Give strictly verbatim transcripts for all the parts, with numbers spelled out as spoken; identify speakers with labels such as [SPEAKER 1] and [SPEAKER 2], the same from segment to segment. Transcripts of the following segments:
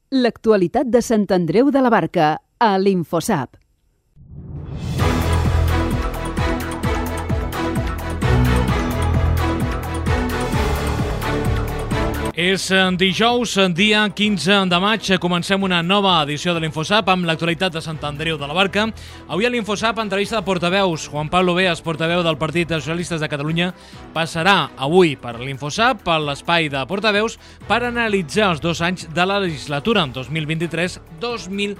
[SPEAKER 1] L'actualitat de Sant Andreu de la Barca, a l'Infosap.
[SPEAKER 2] És dijous, dia quinze de maig. Comencem una nova edició de l'Infosap amb l'actualitat de Sant Andreu de la Barca. Avui a l'Infosap, entrevista de portaveus. Juan Pablo Beas, portaveu del Partit dels Socialistes de Catalunya, passarà avui per l'Infosap, per l'espai de portaveus, per analitzar els dos anys de la legislatura, dos mil vint-i-tres dos mil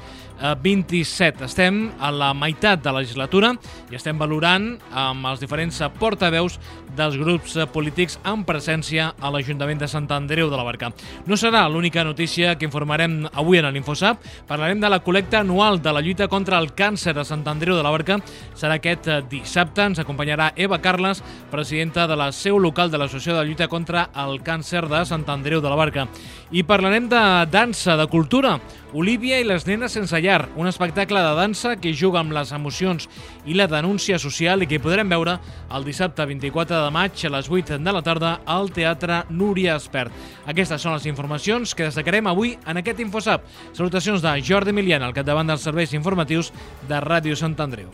[SPEAKER 2] vint-i-set. Estem a la meitat de la legislatura i estem valorant amb els diferents portaveus dels grups polítics en presència a l'Ajuntament de Sant Andreu de la Barca. No serà l'única notícia que informarem avui en l'Infosap. Parlarem de la col·lecta anual de la lluita contra el càncer a Sant Andreu de la Barca. Serà aquest dissabte. Ens acompanyarà Eva Carles, presidenta de la seu local de l'Associació de Lluita contra el Càncer de Sant Andreu de la Barca. I parlarem de dansa, de cultura. Olivia i les nenes sense llar, un espectacle de dansa que juga amb les emocions i la denúncia social i que podrem veure el dissabte vint-i-quatre de maig a les vuit de la tarda al Teatre Núria Espert. Aquestes són les informacions que destacarem avui en aquest Infosap. Salutacions de Jordi Milian, al capdavant dels serveis informatius de Ràdio Sant Andreu.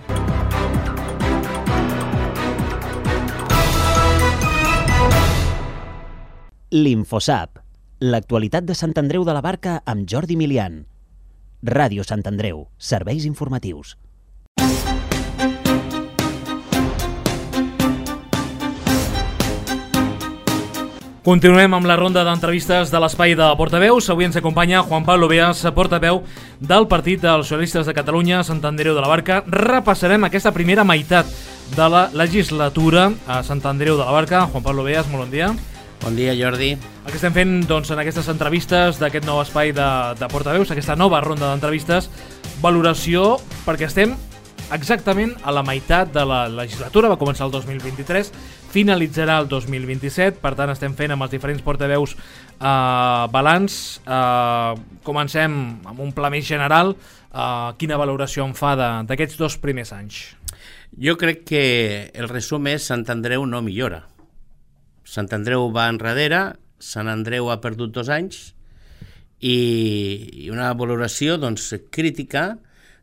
[SPEAKER 3] L'Infosap. L'actualitat de Sant Andreu de la Barca amb Jordi Milian. Ràdio Sant Andreu. Serveis informatius.
[SPEAKER 2] Continuem amb la ronda d'entrevistes de l'espai de portaveus. Avui ens acompanya Juan Pablo Beas, portaveu del Partit dels Socialistes de Catalunya, Sant Andreu de la Barca. Repassarem aquesta primera meitat de la legislatura a Sant Andreu de la Barca. Juan Pablo Beas, molt bon dia.
[SPEAKER 4] Bon dia, Jordi.
[SPEAKER 2] El que estem fent doncs, en aquestes entrevistes d'aquest nou espai de, de portaveus, aquesta nova ronda d'entrevistes, valoració, perquè estem exactament a la meitat de la legislatura. Va començar el dos mil vint-i-tres, finalitzarà el dos mil vint-i-set, per tant estem fent amb els diferents portaveus eh, balanç. Eh, comencem amb un pla més general. Eh, quina valoració en fa d'aquests dos primers anys?
[SPEAKER 4] Jo crec que el resum és Sant Andreu no millora. Sant Andreu va enrere, Sant Andreu ha perdut dos anys i una valoració doncs, crítica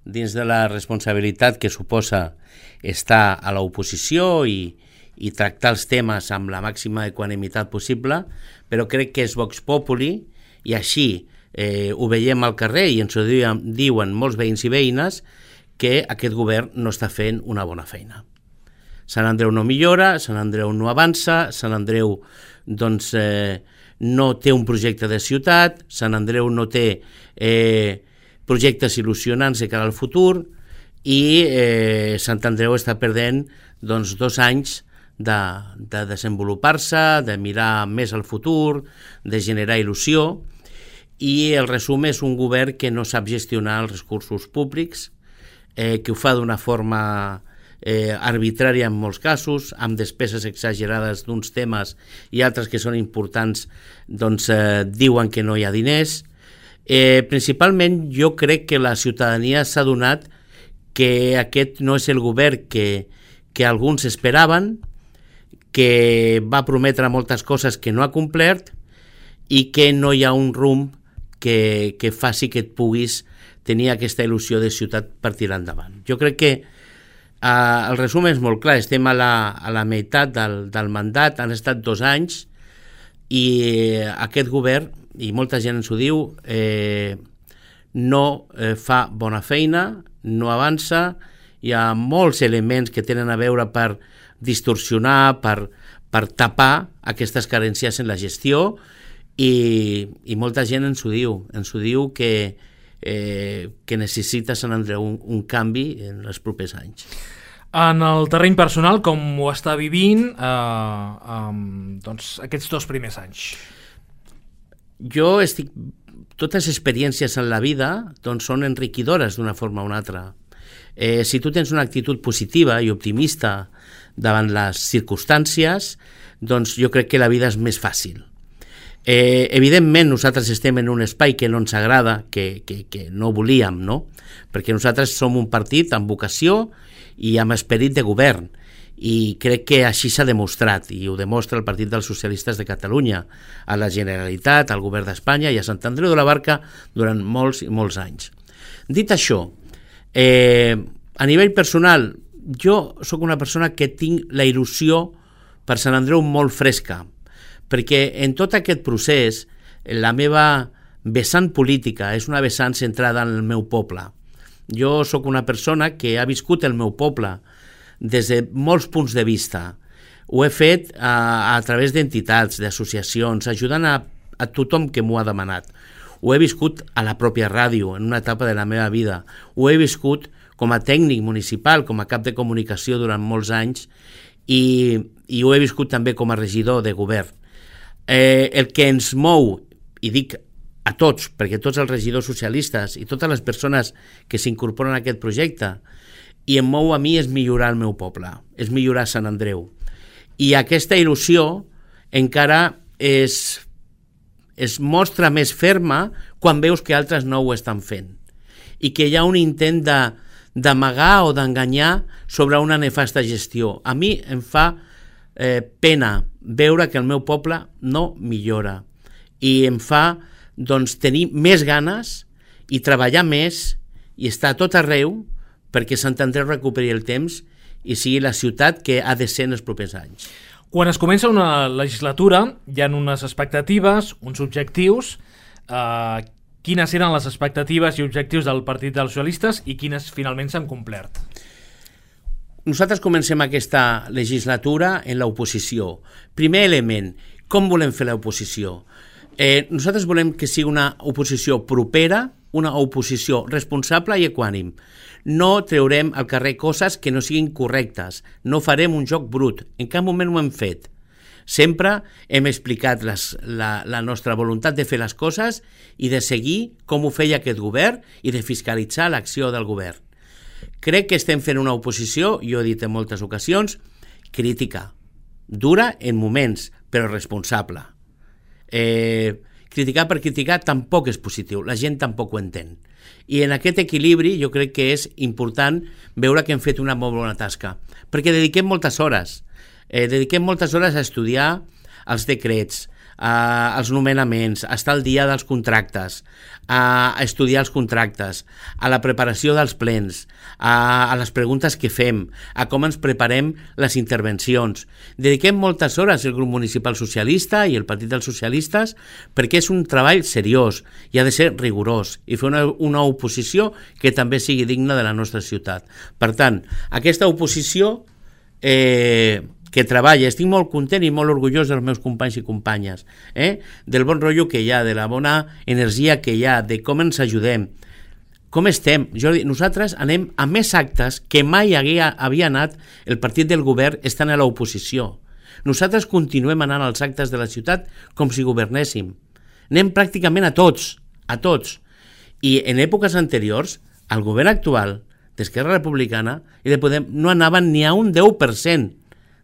[SPEAKER 4] dins de la responsabilitat que suposa estar a l'oposició i, i tractar els temes amb la màxima equanimitat possible, però crec que és Vox Populi i així eh, ho veiem al carrer i ens ho diuen, diuen molts veïns i veïnes que aquest govern no està fent una bona feina. Sant Andreu no millora, Sant Andreu no avança, Sant Andreu doncs, eh, no té un projecte de ciutat, Sant Andreu no té eh, projectes il·lusionants de cara al futur i eh, Sant Andreu està perdent doncs, dos anys de, de desenvolupar-se, de mirar més al futur, de generar il·lusió, i el resum és un govern que no sap gestionar els recursos públics, eh, que ho fa d'una forma Eh, arbitrària en molts casos, amb despeses exagerades d'uns temes i altres que són importants doncs eh, diuen que no hi ha diners. Eh, principalment jo crec que la ciutadania s'ha adonat que aquest no és el govern que, que alguns esperaven, que va prometre moltes coses que no ha complert i que no hi ha un rumb que, que faci que et puguis tenir aquesta il·lusió de ciutat per tirar endavant. Jo crec que Uh, el resum és molt clar, estem a la, a la meitat del, del mandat, han estat dos anys i aquest govern, i molta gent ens ho diu, eh, no eh, fa bona feina, no avança, hi ha molts elements que tenen a veure per distorsionar, per, per tapar aquestes carències en la gestió i, i molta gent ens ho diu, ens ho diu que Eh, que necessita Sant Andreu un, un canvi en els propers anys.
[SPEAKER 2] En el terreny personal, com ho està vivint eh, eh, doncs, aquests dos primers anys?
[SPEAKER 4] Jo estic... Totes les experiències en la vida doncs, són enriquidores d'una forma o una altra. Eh, si tu tens una actitud positiva i optimista davant les circumstàncies, doncs jo crec que la vida és més fàcil. Eh, evidentment nosaltres estem en un espai que no ens agrada, que, que, que no volíem, no? Perquè nosaltres som un partit amb vocació i amb esperit de govern i crec que així s'ha demostrat, i ho demostra el Partit dels Socialistes de Catalunya, a la Generalitat, al Govern d'Espanya i a Sant Andreu de la Barca durant molts i molts anys. Dit això, eh, a nivell personal, jo sóc una persona que tinc la il·lusió per Sant Andreu molt fresca, perquè en tot aquest procés la meva vessant política és una vessant centrada en el meu poble. Jo sóc una persona que ha viscut el meu poble des de molts punts de vista. Ho he fet a, a través d'entitats, d'associacions, ajudant a, a tothom que m'ho ha demanat. Ho he viscut a la pròpia ràdio, en una etapa de la meva vida. Ho he viscut com a tècnic municipal, com a cap de comunicació durant molts anys, i, i ho he viscut també com a regidor de govern. Eh, el que ens mou, i dic a tots, perquè tots els regidors socialistes i totes les persones que s'incorporen a aquest projecte, i em mou a mi és millorar el meu poble, és millorar Sant Andreu. I aquesta il·lusió encara es, es mostra més ferma quan veus que altres no ho estan fent i que hi ha un intent de, d'amagar o d'enganyar sobre una nefasta gestió. A mi em fa eh, pena veure que el meu poble no millora i em fa doncs, tenir més ganes i treballar més i estar a tot arreu perquè Sant Andreu recuperi el temps i sigui la ciutat que ha de ser en els propers anys.
[SPEAKER 2] Quan es comença una legislatura hi ha unes expectatives, uns objectius. Eh, quines eren les expectatives i objectius del Partit dels Socialistes i quines finalment s'han complert?
[SPEAKER 4] Nosaltres comencem aquesta legislatura en l'oposició. Primer element, com volem fer l'oposició? Eh, nosaltres volem que sigui una oposició propera, una oposició responsable i equànim. No treurem al carrer coses que no siguin correctes, no farem un joc brut, en cap moment ho hem fet. Sempre hem explicat les, la, la nostra voluntat de fer les coses i de seguir com ho feia aquest govern i de fiscalitzar l'acció del govern. Crec que estem fent una oposició, jo he dit en moltes ocasions, crítica, dura en moments, però responsable. Eh, criticar per criticar tampoc és positiu, la gent tampoc ho entén. I en aquest equilibri jo crec que és important veure que hem fet una molt bona tasca, perquè dediquem moltes hores, eh, dediquem moltes hores a estudiar els decrets, a, als nomenaments, a estar al dia dels contractes, a, a estudiar els contractes, a la preparació dels plens, a, a les preguntes que fem, a com ens preparem les intervencions. Dediquem moltes hores el grup municipal socialista i el Partit dels Socialistes perquè és un treball seriós i ha de ser rigorós i fer una, una oposició que també sigui digna de la nostra ciutat. Per tant, aquesta oposició eh, que treballa, estic molt content i molt orgullós dels meus companys i companyes, eh? del bon rotllo que hi ha, de la bona energia que hi ha, de com ens ajudem. Com estem? Jordi, nosaltres anem a més actes que mai havia, havia anat el partit del govern estant a l'oposició. Nosaltres continuem anant als actes de la ciutat com si governéssim. Anem pràcticament a tots, a tots. I en èpoques anteriors, el govern actual d'Esquerra Republicana i de Podem no anaven ni a un deu per cent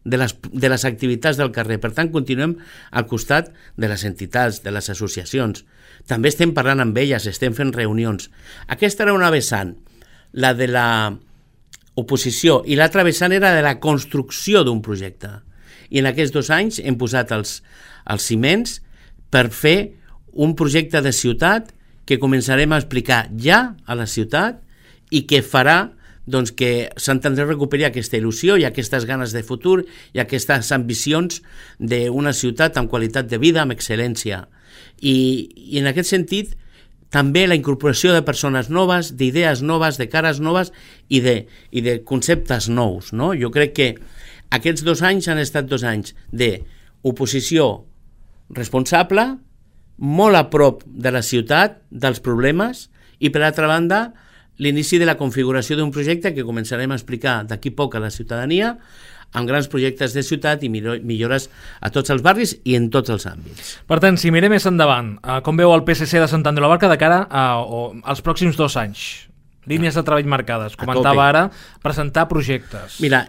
[SPEAKER 4] de les, de les activitats del carrer. Per tant, continuem al costat de les entitats, de les associacions. També estem parlant amb elles, estem fent reunions. Aquesta era una vessant, la de la oposició, i l'altra vessant era de la construcció d'un projecte. I en aquests dos anys hem posat els, els ciments per fer un projecte de ciutat que començarem a explicar ja a la ciutat i que farà doncs, que Sant Andreu recuperi aquesta il·lusió i aquestes ganes de futur i aquestes ambicions d'una ciutat amb qualitat de vida, amb excel·lència. I, i en aquest sentit, també la incorporació de persones noves, d'idees noves, de cares noves i de, i de conceptes nous. No? Jo crec que aquests dos anys han estat dos anys d'oposició responsable, molt a prop de la ciutat, dels problemes, i per altra banda, l'inici de la configuració d'un projecte que començarem a explicar d'aquí poc a la ciutadania, amb grans projectes de ciutat i millores a tots els barris i en tots els àmbits.
[SPEAKER 2] Per tant, si mirem més endavant, com veu el P S C de Sant Andreu de la Barca de cara a, a, als pròxims dos anys? Línies de treball marcades. Comentava ara presentar projectes.
[SPEAKER 4] Mira,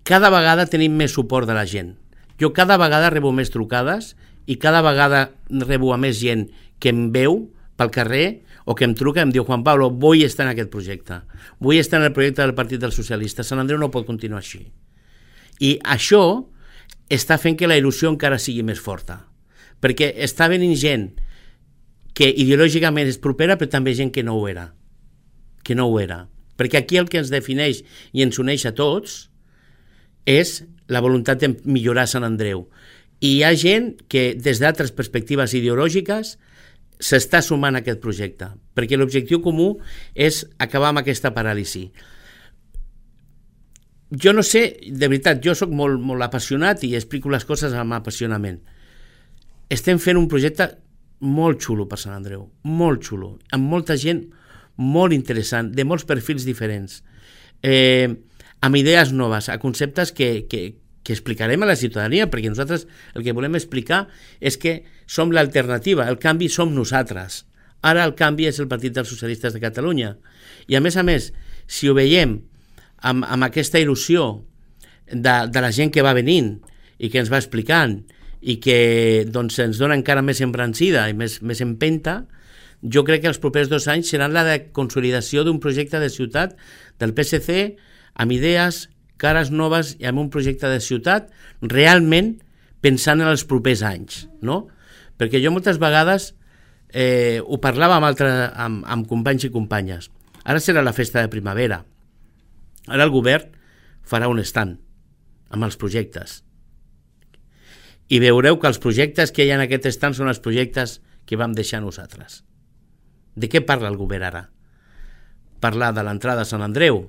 [SPEAKER 4] cada vegada tenim més suport de la gent. Jo cada vegada rebo més trucades i cada vegada rebo a més gent que em veu pel carrer o que em truca i em diu: Juan Pablo, vull estar en aquest projecte, vull estar en el projecte del Partit dels Socialistes, Sant Andreu no pot continuar així. I això està fent que la il·lusió encara sigui més forta, perquè està venint gent que ideològicament és propera, però també gent que no ho era, que no ho era. Perquè aquí el que ens defineix i ens uneix a tots és la voluntat de millorar Sant Andreu. I hi ha gent que des d'altres perspectives ideològiques s'està sumant a aquest projecte, perquè l'objectiu comú és acabar amb aquesta paràlisi. Jo no sé, de veritat, jo sóc molt, molt apassionat i explico les coses amb apassionament. Estem fent un projecte molt xulo per Sant Andreu, molt xulo, amb molta gent molt interessant, de molts perfils diferents, eh, amb idees noves, a conceptes que, que, que explicarem a la ciutadania, perquè nosaltres el que volem explicar és que som l'alternativa, el canvi som nosaltres. Ara el canvi és el Partit dels Socialistes de Catalunya. I a més a més, si ho veiem amb, amb aquesta il·lusió de, de la gent que va venint i que ens va explicant i que doncs, ens dona encara més embrancida i més, més empenta, jo crec que els propers dos anys seran la de consolidació d'un projecte de ciutat del P S C amb idees, cares noves i amb un projecte de ciutat realment pensant en els propers anys, no? Perquè jo moltes vegades eh, ho parlava amb, altre, amb, amb companys i companyes. Ara serà la festa de primavera. Ara el govern farà un stand amb els projectes. I veureu que els projectes que hi ha en aquest stand són els projectes que vam deixar nosaltres. De què parla el govern ara? Parla de l'entrada a Sant Andreu,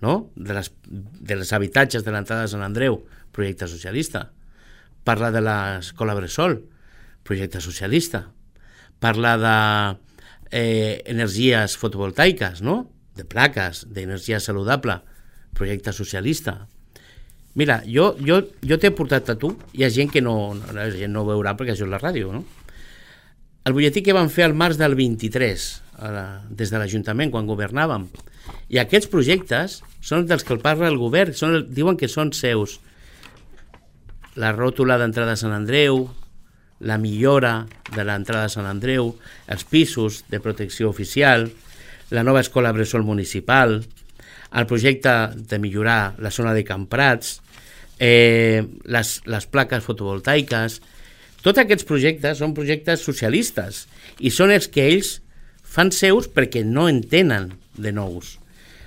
[SPEAKER 4] no? De les, de les habitatges de l'entrada a Sant Andreu, projecte socialista. Parla de l'escola Bressol, projecte socialista. Parla de eh, energies fotovoltaiques, no? De plaques, d'energia saludable, projecte socialista. Mira, jo, jo, jo t'he portat a tu, hi ha gent que no, no, la gent no ho veurà perquè això és la ràdio, no? El butlletí que vam fer al març del vint-i-tres, la, des de l'Ajuntament, quan governàvem, i aquests projectes són dels que el parla el govern, són, diuen que són seus. La ròtula d'entrada a Sant Andreu, la millora de l'entrada a Sant Andreu, els pisos de protecció oficial, la nova escola Bressol municipal, el projecte de millorar la zona de Camprats, eh, les, les plaques fotovoltaiques. Tots aquests projectes són projectes socialistes i són els que ells fan seus perquè no en tenen de nous.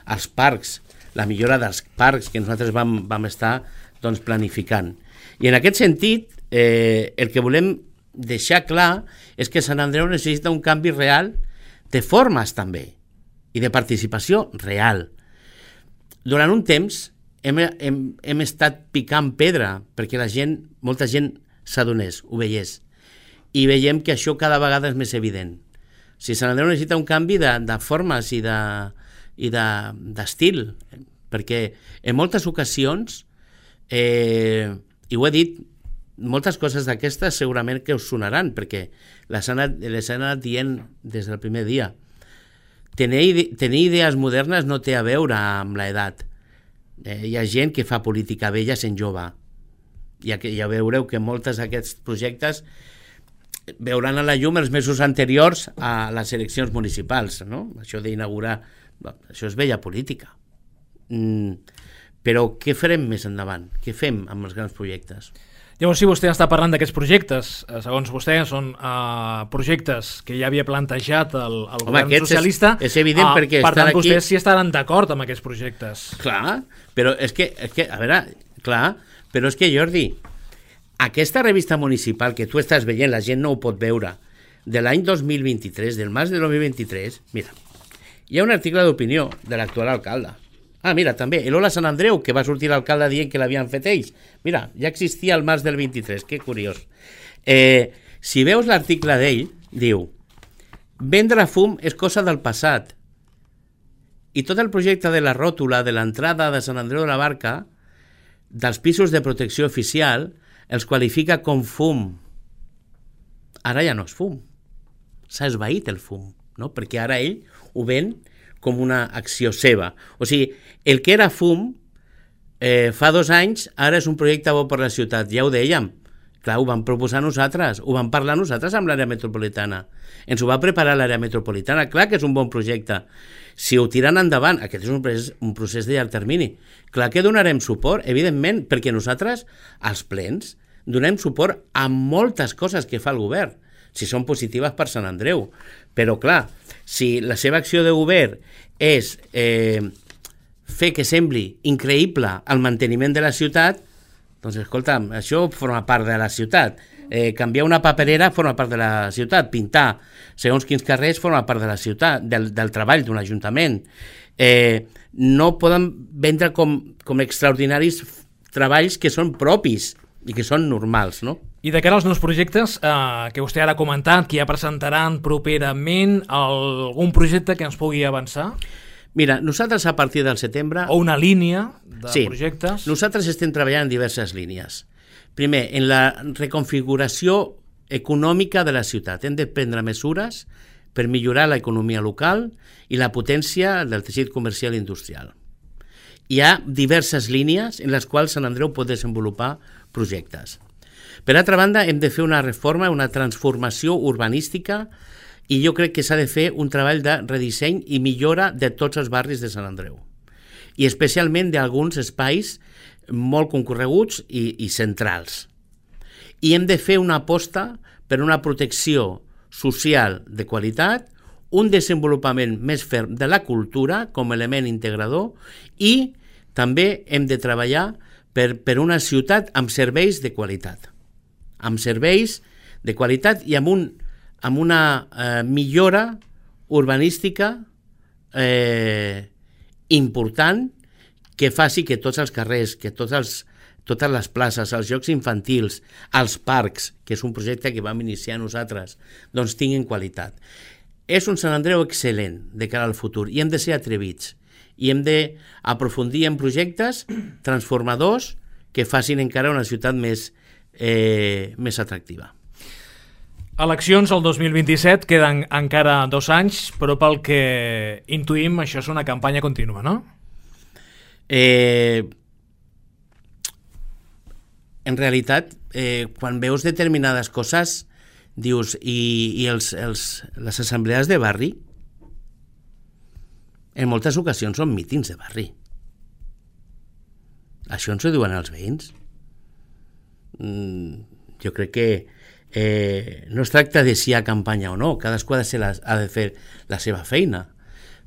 [SPEAKER 4] Els parcs, la millora dels parcs que nosaltres vam, vam estar doncs, planificant. I en aquest sentit, eh, el que volem deixar clar és que Sant Andreu necessita un canvi real de formes també i de participació real. Durant un temps hem, hem, hem estat picant pedra perquè la gent, molta gent s'adonés, ho veiés. I veiem que això cada vegada és més evident. Si Sant Andreu necessita un canvi de, de formes i de, i de, d'estil, perquè en moltes ocasions, eh, i ho he dit, moltes coses d'aquestes segurament que us sonaran, perquè les han anat, les han anat dient des del primer dia. Tenir, tenir idees modernes no té a veure amb l'edat. Eh, hi ha gent que fa política vella sent jove. Ja, que, ja veureu que molts d'aquests projectes veuran a la llum els mesos anteriors a les eleccions municipals, no? Això d'inaugurar, això és vella política. Mm, però què farem més endavant? Què fem amb els grans projectes?
[SPEAKER 2] Llavors, si vostè està parlant d'aquests projectes, segons vostè, són uh, projectes que ja havia plantejat el, el
[SPEAKER 4] Home,
[SPEAKER 2] govern socialista.
[SPEAKER 4] És, és evident uh, perquè
[SPEAKER 2] per tant,
[SPEAKER 4] aquí...
[SPEAKER 2] vostès sí estaran d'acord amb aquests projectes.
[SPEAKER 4] Clar, però és que, és que, a veure, clar, però és que, Jordi, aquesta revista municipal que tu estàs veient, la gent no ho pot veure, de l'any dos mil vint-i-tres, del març de dos mil vint-i-tres, mira, hi ha un article d'opinió de l'actual alcalde. Ah, mira, també, el Hola Sant Andreu, que va sortir l'alcalde dient que l'havien fet ells. Mira, ja existia el març del vint-i-tres, que curiós. Eh, si veus l'article d'ell, diu: vendre fum és cosa del passat. I tot el projecte de la ròtula de l'entrada de Sant Andreu de la Barca, dels pisos de protecció oficial, els qualifica com fum. Ara ja no és fum. S'ha esvaït el fum, no? Perquè ara ell ho ven com una acció seva. O sigui, el que era fum eh, fa dos anys, ara és un projecte bo per la ciutat. Ja ho dèiem, Clar, ho vam proposar nosaltres, ho vam parlar nosaltres amb l'àrea metropolitana. Ens ho va preparar l'àrea metropolitana. Clar que és un bon projecte. Si ho tiren endavant, aquest és un procés, un procés de llarg termini. Clar que donarem suport, evidentment, perquè nosaltres, als plens, donem suport a moltes coses que fa el govern, si són positives per Sant Andreu. Però, clar, si la seva acció de govern és eh, fer que sembli increïble el manteniment de la ciutat, doncs, escolta'm, això forma part de la ciutat. Eh, canviar una paperera forma part de la ciutat. Pintar segons quins carrers forma part de la ciutat, del, del treball d'un ajuntament. Eh, no poden vendre com, com extraordinaris treballs que són propis i que són normals, no?
[SPEAKER 2] I de cara als nous projectes, eh, que vostè ara ha comentat, que ja presentaran properament algun projecte que ens pugui avançar?
[SPEAKER 4] Mira, nosaltres a partir del setembre...
[SPEAKER 2] O una línia de
[SPEAKER 4] sí,
[SPEAKER 2] projectes?
[SPEAKER 4] Nosaltres estem treballant en diverses línies. Primer, en la reconfiguració econòmica de la ciutat. Hem de prendre mesures per millorar l'economia local i la potència del teixit comercial i industrial. Hi ha diverses línies en les quals Sant Andreu pot desenvolupar projectes. Per altra banda, hem de fer una reforma, una transformació urbanística, i jo crec que s'ha de fer un treball de redisseny i millora de tots els barris de Sant Andreu, i especialment d'alguns espais molt concorreguts i, i centrals. I hem de fer una aposta per una protecció social de qualitat, un desenvolupament més ferm de la cultura com a element integrador, i també hem de treballar per, per una ciutat amb serveis de qualitat, amb serveis de qualitat i amb un amb una eh, millora urbanística eh, important que faci que tots els carrers, que tots els, totes les places, els jocs infantils, els parcs, que és un projecte que vam iniciar nosaltres, doncs tinguin qualitat. És un Sant Andreu excel·lent de cara al futur i hem de ser atrevits i hem d'aprofundir en projectes transformadors que facin encara una ciutat més, eh, més atractiva.
[SPEAKER 2] Eleccions el dos mil vint-i-set, queden encara dos anys, però pel que intuïm això és una campanya contínua, no?
[SPEAKER 4] Eh, en realitat, eh, quan veus determinades coses, dius, i, i els, els, les assemblees de barri, en moltes ocasions són mítings de barri. Això ens ho diuen els veïns. Mm, jo crec que Eh, no es tracta de si hi ha campanya o no, cadascú ha de, ser la, ha de fer la seva feina,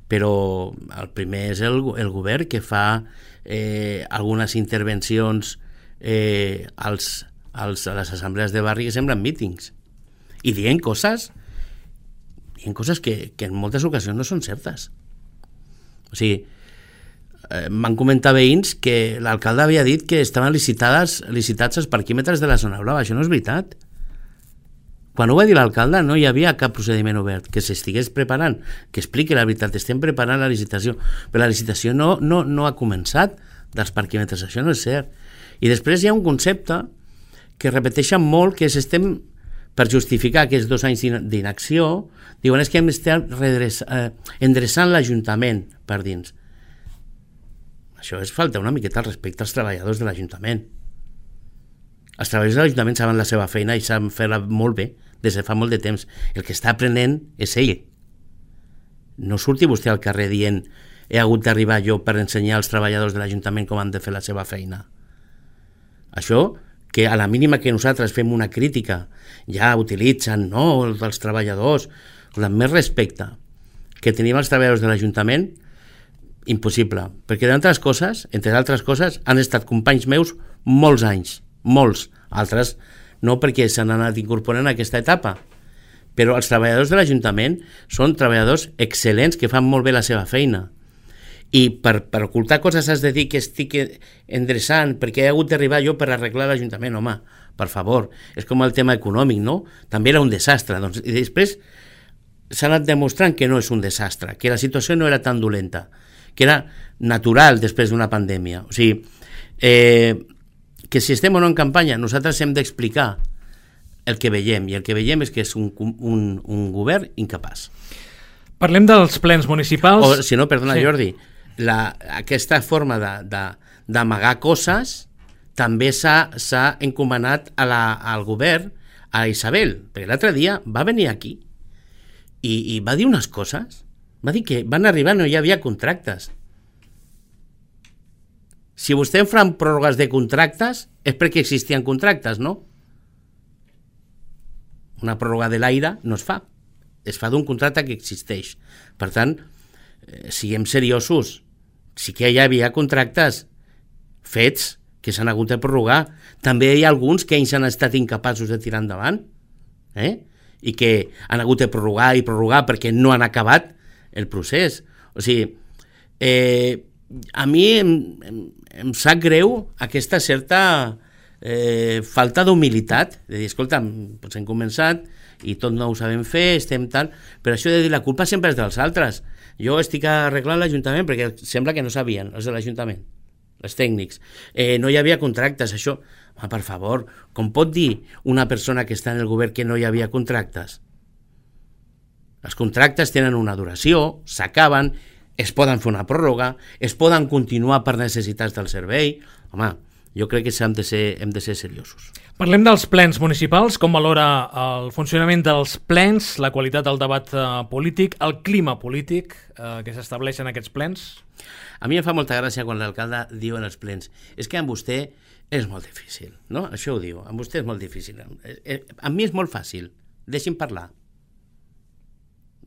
[SPEAKER 4] però el primer és el, el govern que fa eh, algunes intervencions eh, als, als, a les assemblees de barri que semblen mítings i dient coses dient coses que, que en moltes ocasions no són certes. O sigui, eh, m'han comentat veïns que l'alcalde havia dit que estaven licitades, licitats els parquímetres de la zona blava. Això no és veritat. Quan ho va dir l'alcalde no hi havia cap procediment obert, que s'estigués preparant, que expliqui la veritat, estem preparant la licitació, però la licitació no, no, no ha començat dels parquímetres, això no és cert. I després hi ha un concepte que repeteixen molt, que és estem, per justificar aquests dos anys d'inacció, diuen és que hem d'estar eh, endreçant l'Ajuntament per dins. Això és falta una miqueta al respecte als treballadors de l'Ajuntament. Els treballadors de l'Ajuntament saben la seva feina i saben fer-la molt bé des de fa molt de temps. El que està aprenent és ell. No surti vostè al carrer dient he hagut d'arribar jo per ensenyar als treballadors de l'Ajuntament com han de fer la seva feina. Això, que a la mínima que nosaltres fem una crítica ja utilitzen, no, els treballadors, amb més respecte que tenim els treballadors de l'Ajuntament, impossible, perquè d'altres coses, entre altres coses, han estat companys meus molts anys, molts, altres no, perquè s'han anat incorporant a aquesta etapa, però els treballadors de l'Ajuntament són treballadors excel·lents que fan molt bé la seva feina, i per, per ocultar coses has de dir que estic endreçant perquè he hagut d'arribar jo per arreglar l'Ajuntament. Home, per favor, és com el tema econòmic, no? També era un desastre, doncs, i després s'ha anat demostrant que no és un desastre, que la situació no era tan dolenta, que era natural després d'una pandèmia. O sigui, eh, que si estem o no en campanya, nosaltres hem d'explicar el que veiem, i el que veiem és que és un, un, un govern incapaç.
[SPEAKER 2] Parlem dels plens municipals.
[SPEAKER 4] O, si no, perdona, sí. Jordi, la, aquesta forma d'amagar coses també s'ha, s'ha encomanat a la, al govern, a Isabel, perquè l'altre dia va venir aquí i, i va dir unes coses, va dir que van arribar no hi havia contractes. Si vostè fa pròrrogues de contractes és perquè existien contractes, no? Una pròrroga de l'aire no es fa, es fa d'un contracte que existeix. Per tant, eh, siguem seriosos, sí que hi havia contractes fets que s'han hagut de prorrogar. També hi ha alguns que ells han estat incapaços de tirar endavant, eh? I que han hagut de prorrogar i prorrogar perquè no han acabat el procés. O sigui, eh, a mi em, em, em sap greu aquesta certa eh, falta d'humilitat, de dir, escolta, doncs hem començat i tot no ho sabem fer, estem tal, però això de dir la culpa sempre és dels altres. Jo estic arreglant l'Ajuntament perquè sembla que no sabien, els de l'Ajuntament, els tècnics. Eh, no hi havia contractes, això... Home, per favor, com pot dir una persona que està en el govern que no hi havia contractes? Els contractes tenen una duració, s'acaben, es poden fer una pròrroga, es poden continuar per necessitats del servei. Home, jo crec que hem de ser, hem de ser seriosos.
[SPEAKER 2] Parlem dels plens municipals, com valora el funcionament dels plens, la qualitat del debat eh, polític, el clima polític eh, que s'estableix en aquests plens?
[SPEAKER 4] A mi em fa molta gràcia quan l'alcalde diu en els plens, és que amb vostè és molt difícil, no? Això ho diu, amb vostè és molt difícil. Amb mi és molt fàcil, deixi'm parlar.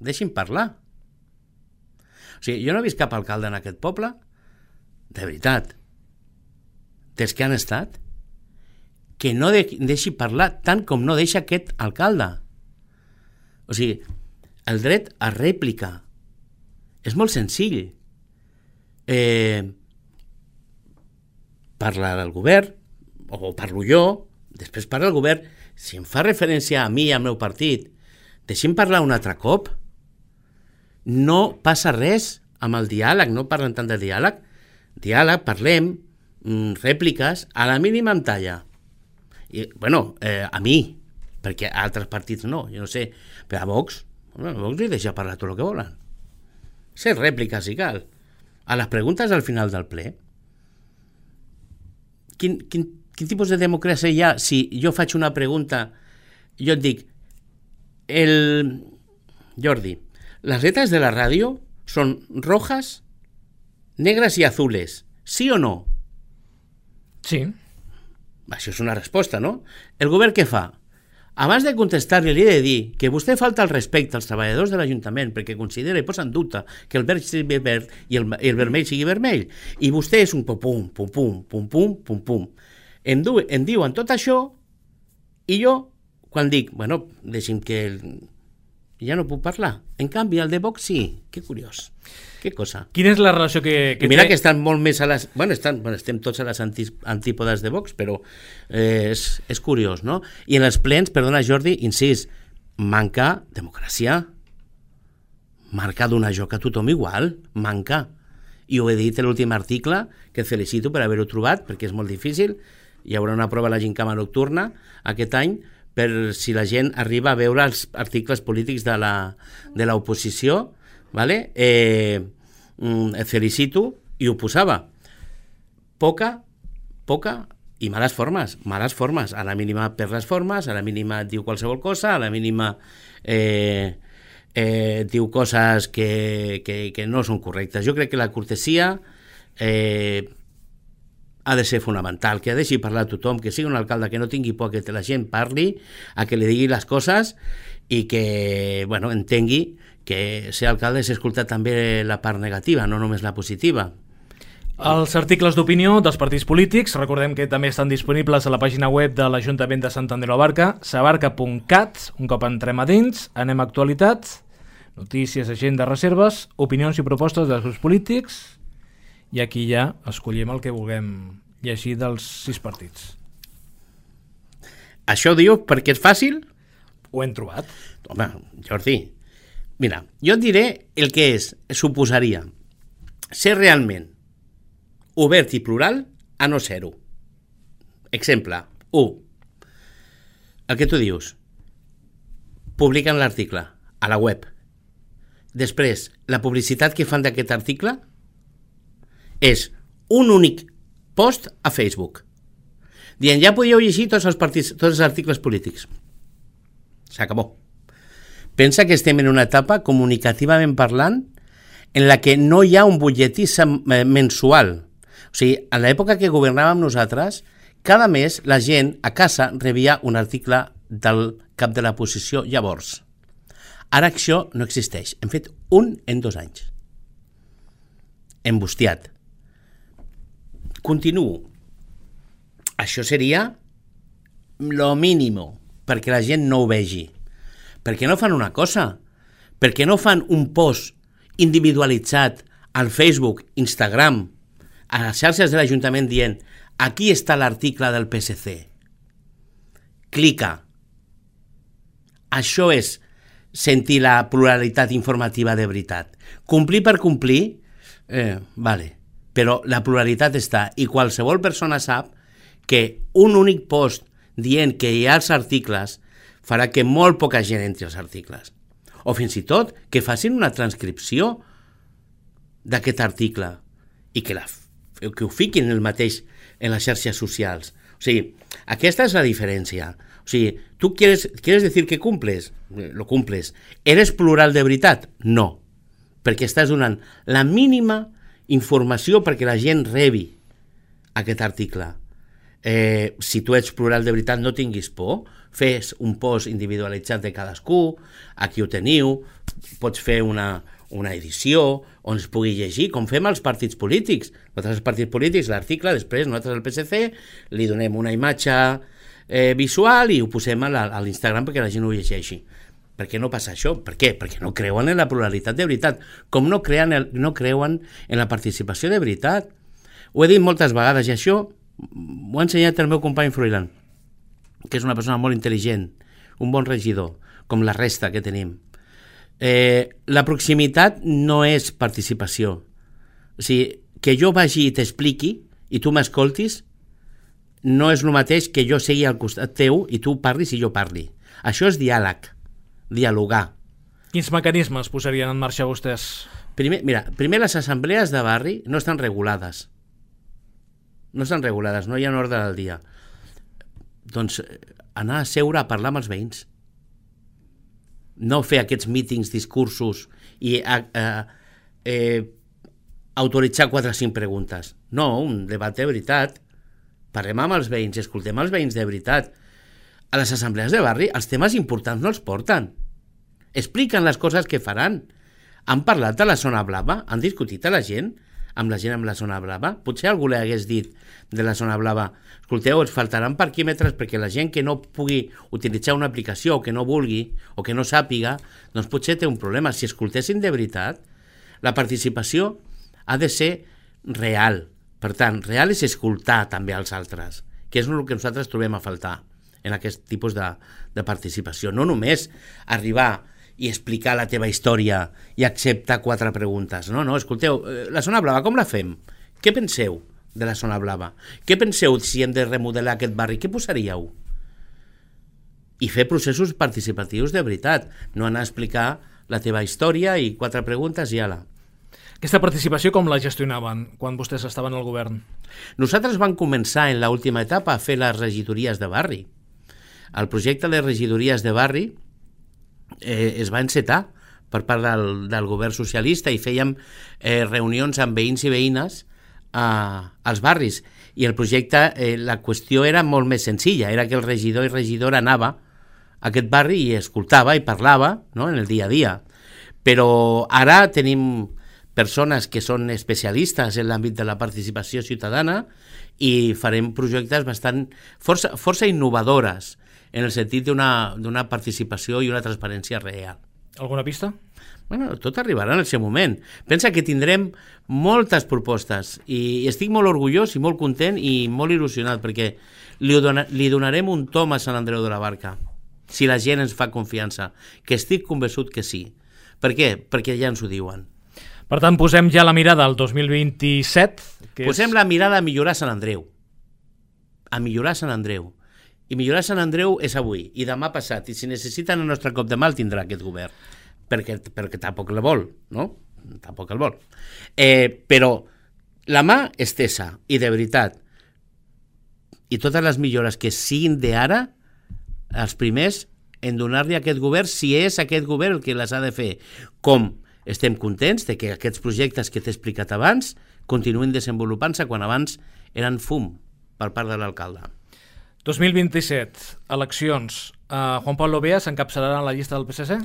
[SPEAKER 4] Deixi'm parlar. O sigui, jo no he vist cap alcalde en aquest poble, de veritat, dels que han estat, que no de, deixi parlar tant com no deixa aquest alcalde. O sigui, el dret a rèplica és molt senzill. Eh, parla el govern, o parlo jo, després parla el govern. Si em fa referència a mi i al meu partit, deixi'm parlar un altre cop. No passa res amb el diàleg, no parlen tant de diàleg. Diàleg, parlem, rèpliques, a la mínima em talla. I, bueno, eh, a mi, perquè a altres partits no, jo no sé, però a Vox, bueno, a Vox li deixa parlar tot el que volen. Ser rèpliques si cal. A les preguntes al final del ple, quin, quin, quin tipus de democràcia hi ha si jo faig una pregunta, jo et dic, el Jordi, les lletres de la ràdio són rojas, negres i azules, sí o no?
[SPEAKER 2] Sí.
[SPEAKER 4] Això és una resposta, no? El govern què fa? Abans de contestar-li, li he de dir que vostè falta el respecte als treballadors de l'Ajuntament perquè considera i posa en dubte que el verd sigui verd i el, el vermell sigui vermell. I vostè és un pum, pum, pum, pum, pum, pum, pum, pum. Em, du, em diuen tot això i jo, quan dic, bueno, deixi'm que... El... ja no puc parlar. En canvi, el de Vox sí. Que curiós. Que cosa.
[SPEAKER 2] Quina és la relació que, que
[SPEAKER 4] mira
[SPEAKER 2] té?
[SPEAKER 4] que estan molt més a les... Bueno, estan, bueno estem tots a les anti, antípodes de Vox, però eh, és, és curiós, no? I en els plens, perdona Jordi, incís, manca democràcia. Manca donar joc a tothom igual. Manca. I ho he dit en l'últim article, que felicito per haver-ho trobat, perquè és molt difícil. Hi haurà una prova a la Gincama nocturna aquest any, per si la gent arriba a veure els articles polítics de la, de l'oposició, vale? eh, et felicito, i ho posava. Poca, poca i males formes, males formes, a la mínima per les formes, a la mínima diu qualsevol cosa, a la mínima eh, eh, diu coses que, que, que no són correctes. Jo crec que la cortesia eh, ha de ser fonamental, que ha de deixi parlar a tothom, que sigui un alcalde que no tingui por que la gent parli, a que li digui les coses i que, bueno, entengui que ser alcalde és escoltar també la part negativa, no només la positiva.
[SPEAKER 2] Els articles d'opinió dels partits polítics, recordem que també estan disponibles a la pàgina web de l'Ajuntament de Sant Andreu de la Barca, sabarca punt cat, un cop entrem a dins, anem a actualitat, notícies, agenda, reserves, opinions i propostes dels grups polítics, i aquí ja escollim el que vulguem llegir dels sis partits.
[SPEAKER 4] Això diu perquè és fàcil?
[SPEAKER 2] Ho hem trobat.
[SPEAKER 4] Home, Jordi, mira, jo et diré el que és, suposaria, ser realment obert i plural a no ser-ho. Exemple, u. El que tu dius, publiquen l'article a la web. Després, la publicitat que fan d'aquest article és un únic post a Facebook. dient, ja podíeu llegir tots els, partits, tots els articles polítics. S'acabó. Pensa que estem en una etapa, comunicativament parlant, en la que no hi ha un butlletí mensual. O sigui, en l'època que governàvem nosaltres, cada mes la gent a casa rebia un article del cap de la posició llavors. Ara això no existeix. Hem fet un en dos anys. Embustiat. Continuo. Això seria lo mínimo perquè la gent no ho vegi. Per què no fan una cosa? Per què no fan un post individualitzat al Facebook, Instagram, a les xarxes de l'Ajuntament dient aquí està l'article del P S C. Clica. Això és sentir la pluralitat informativa de veritat. Complir per complir, eh, vale, però la pluralitat està i qualsevol persona sap que un únic post dient que hi ha els articles farà que molt poca gent entri als articles. O fins i tot que facin una transcripció d'aquest article i que, la, que ho fiquin el mateix en les xarxes socials. O sigui, aquesta és la diferència. O sigui, tu quieres, quieres decir que cumples? Lo cumples. ¿Eres plural de veritat? No. Perquè estàs donant la mínima informació perquè la gent rebi aquest article. Eh, si tu ets plural de veritat, no tinguis por, fes un post individualitzat de cadascú, aquí ho teniu, pots fer una, una edició on es pugui llegir, com fem els partits polítics. Nosaltres els partits polítics, l'article, després nosaltres al P S C li donem una imatge eh, visual i ho posem a l'Instagram perquè la gent ho llegeixi. Per què no passa això? Per què? Perquè no creuen en la pluralitat de veritat, com no, creuen, no creuen en la participació de veritat. Ho he dit moltes vegades i això m'ho ha ensenyat el meu company Froilán, que és una persona molt intel·ligent, un bon regidor, com la resta que tenim. Eh, la proximitat no és participació. O sigui, que jo vagi i t'expliqui i tu m'escoltis no és el mateix que jo segui al costat teu i tu parlis i jo parli. Això és diàleg, dialogar.
[SPEAKER 2] Quins mecanismes posarien en marxa vostès?
[SPEAKER 4] Primer, mira, primer les assemblees de barri no estan regulades. No estan regulades, no hi ha un ordre del dia. Doncs anar a seure a parlar amb els veïns. No fer aquests mítings, discursos i a, a, eh, autoritzar quatre o cinc preguntes. No, un debat de veritat. Parlem amb els veïns, escoltem els veïns de veritat. A les assemblees de barri els temes importants no els porten. Expliquen les coses que faran. Han parlat de la zona blava? Han discutit a la gent? Amb la gent amb la zona blava? Potser algú li hagués dit de la zona blava, escolteu, ens faltaran parquímetres perquè la gent que no pugui utilitzar una aplicació o que no vulgui o que no sàpiga, doncs potser té un problema. Si escoltessin de veritat, la participació ha de ser real. Per tant, real és escoltar també als altres, que és el que nosaltres trobem a faltar en aquest tipus de, de participació. No només arribar i explicar la teva història i acceptar quatre preguntes. No, no, escolteu, la zona blava com la fem? Què penseu de la zona blava? Què penseu si hem de remodelar aquest barri? Què posaríeu? I fer processos participatius de veritat, no anar a explicar la teva història i quatre preguntes i ala.
[SPEAKER 2] Aquesta participació com la gestionaven quan vostès estaven al govern?
[SPEAKER 4] Nosaltres vam començar en l'última etapa a fer les regidories de barri. El projecte de regidories de barri Eh, es va encetar per part del, del govern socialista i fèiem eh, reunions amb veïns i veïnes eh, als barris i el projecte, eh, la qüestió era molt més senzilla, era que el regidor i regidora anava a aquest barri i escoltava i parlava, no?, en el dia a dia, però ara tenim persones que són especialistes en l'àmbit de la participació ciutadana i farem projectes bastant força, força innovadores en el sentit d'una, d'una participació i una transparència real.
[SPEAKER 2] Alguna pista?
[SPEAKER 4] Bueno, tot arribarà en el seu moment. Pensa que tindrem moltes propostes i estic molt orgullós i molt content i molt il·lusionat perquè li, dona, li donarem un tom a Sant Andreu de la Barca si la gent ens fa confiança, que estic convençut que sí. Per què? Perquè ja ens ho diuen.
[SPEAKER 2] Per tant, posem ja la mirada al dos mil vint-i-set. Que
[SPEAKER 4] posem és... la mirada a millorar Sant Andreu. A millorar Sant Andreu. I millorar Sant Andreu és avui i demà passat, i si necessiten el nostre cop de mà el tindrà aquest govern, perquè, perquè tampoc el vol, no? Tampoc el vol. Eh, però la mà estesa, i de veritat, i totes les millores que siguin d'ara, els primers en donar-li a aquest govern, si és aquest govern el que les ha de fer. Com estem contents de que aquests projectes que t'he explicat abans continuïn desenvolupant-se quan abans eren fum per part de l'alcalde.
[SPEAKER 2] dos mil vint-i-set, eleccions. Uh, Juan Pablo Beas s'encapçalarà en la llista del P S C?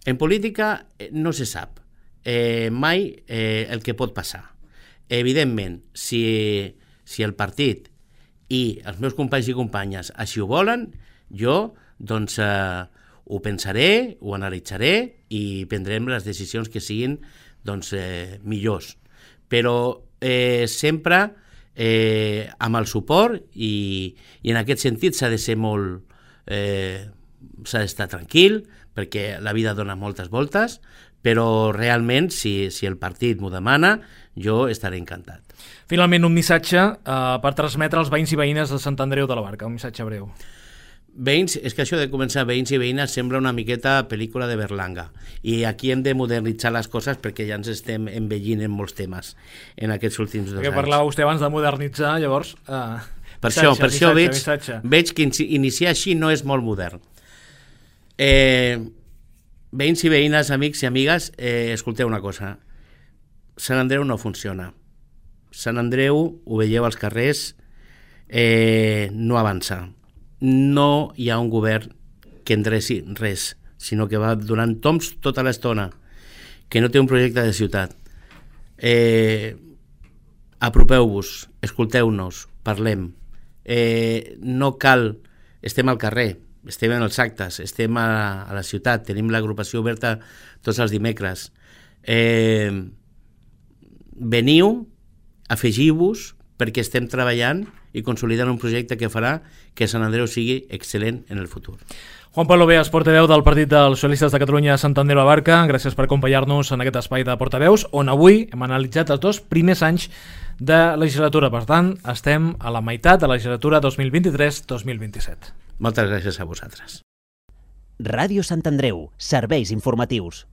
[SPEAKER 4] En política no se sap eh, mai eh, el que pot passar. Evidentment, si, si el partit i els meus companys i companyes així ho volen, jo doncs eh, ho pensaré, ho analitzaré i prendrem les decisions que siguin doncs, eh, millors. Però eh, sempre eh, amb el suport i, i en aquest sentit s'ha de ser molt... Eh, s'ha d'estar tranquil perquè la vida dona moltes voltes, però realment si, si el partit m'ho demana jo estaré encantat.
[SPEAKER 2] Finalment un missatge eh, per transmetre als veïns i veïnes de Sant Andreu de la Barca, un missatge breu.
[SPEAKER 4] Veïns, és que això de començar veïns i veïnes sembla una miqueta pel·lícula de Berlanga i aquí hem de modernitzar les coses perquè ja ens estem envellint en molts temes en aquests últims dos
[SPEAKER 2] que
[SPEAKER 4] anys.
[SPEAKER 2] Parlava vostè abans de modernitzar, llavors... Eh,
[SPEAKER 4] per
[SPEAKER 2] missatge,
[SPEAKER 4] això, per
[SPEAKER 2] missatge,
[SPEAKER 4] això veig,
[SPEAKER 2] missatge.
[SPEAKER 4] veig que iniciar així no és molt modern. Eh, veïns i veïnes, amics i amigues, eh, escolteu una cosa. Sant Andreu no funciona. Sant Andreu, ho veieu als carrers, eh, no avança. No hi ha un govern que endreci res, sinó que va donant toms tota l'estona, que no té un projecte de ciutat. Eh, apropeu-vos, escolteu-nos, parlem. Eh, no cal, estem al carrer, estem en els actes, estem a, a la ciutat, tenim l'agrupació oberta tots els dimecres. Eh, veniu, afegiu-vos, perquè estem treballant i consolidant un projecte que farà que Sant Andreu sigui excel·lent en el futur.
[SPEAKER 2] Juan Pablo Beas, portaveu del Partit dels Socialistes de Catalunya a Sant Andreu de la Barca, gràcies per acompanyar-nos en aquest espai de portaveus, on avui hem analitzat els dos primers anys de legislatura. Per tant, estem a la meitat de la legislatura dos mil vint-i-tres dos mil vint-i-set.
[SPEAKER 4] Moltes gràcies a vosaltres.
[SPEAKER 3] Ràdio Sant Andreu, serveis informatius.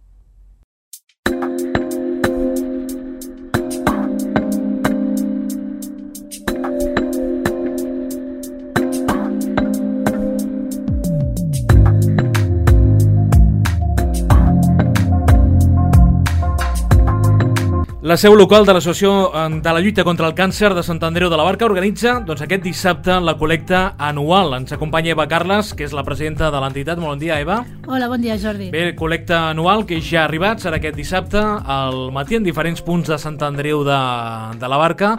[SPEAKER 2] La seu local de l'Associació de la Lluita contra el Càncer de Sant Andreu de la Barca organitza doncs, aquest dissabte la col·lecta anual. Ens acompanya Eva Carles, que és la presidenta de l'entitat. Molt bon dia, Eva.
[SPEAKER 5] Hola, bon dia, Jordi.
[SPEAKER 2] Bé, col·lecta anual que ja ha arribat, serà aquest dissabte al matí en diferents punts de Sant Andreu de, de la Barca.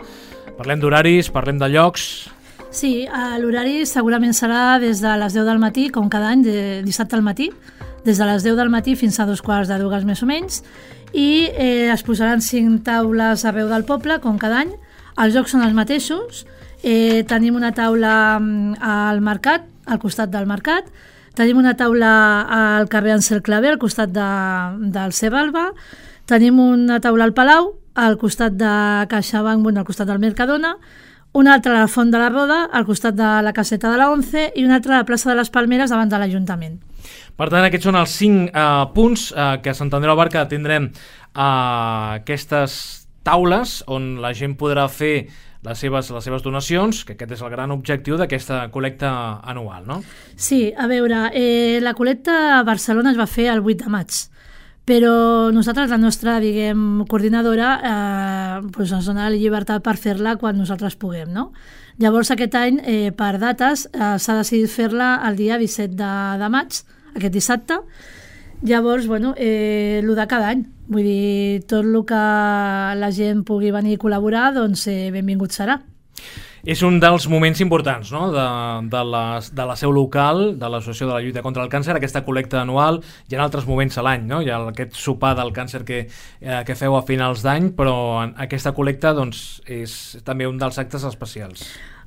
[SPEAKER 2] Parlem d'horaris, parlem de llocs...
[SPEAKER 5] Sí, l'horari segurament serà des de les deu del matí, com cada any, de dissabte al matí, des de les deu del matí fins a dos quarts de dues més o menys, i eh, es posaran cinc taules arreu del poble, com cada any. Els jocs són els mateixos. Eh, tenim una taula al mercat, al costat del mercat. Tenim una taula al carrer Ansel Clavé, al costat de, del Cebalba. Tenim una taula al Palau, al costat de CaixaBank, bueno, al costat del Mercadona. Una altra a la Font de la Roda, al costat de la caseta de la Once, i una altra a la plaça de les Palmeres, davant de l'Ajuntament.
[SPEAKER 2] Per tant, aquests són els cinc eh, punts eh, que a Sant Andreu de la Barca tindrem eh, aquestes taules on la gent podrà fer les seves, les seves donacions, que aquest és el gran objectiu d'aquesta col·lecta anual, no?
[SPEAKER 5] Sí, a veure, eh, la col·lecta a Barcelona es va fer el vuit de maig, però nosaltres, la nostra, diguem, coordinadora, eh, doncs ens dona la llibertat per fer-la quan nosaltres puguem, no? Llavors, aquest any, eh, per dates, eh, s'ha decidit fer-la el dia disset de, de maig, aquest dissabte. Llavors, bueno, eh, el de cada any. Vull dir, tot el que la gent pugui venir a col·laborar, doncs eh, benvingut serà.
[SPEAKER 2] És un dels moments importants, no?, de, de, la, de la seu local, de l'Associació de la Lluita contra el Càncer, aquesta col·lecta anual. Hi ha altres moments a l'any, no? Hi ha aquest sopar del càncer que, eh, que feu a finals d'any, però aquesta col·lecta doncs, és també un dels actes especials.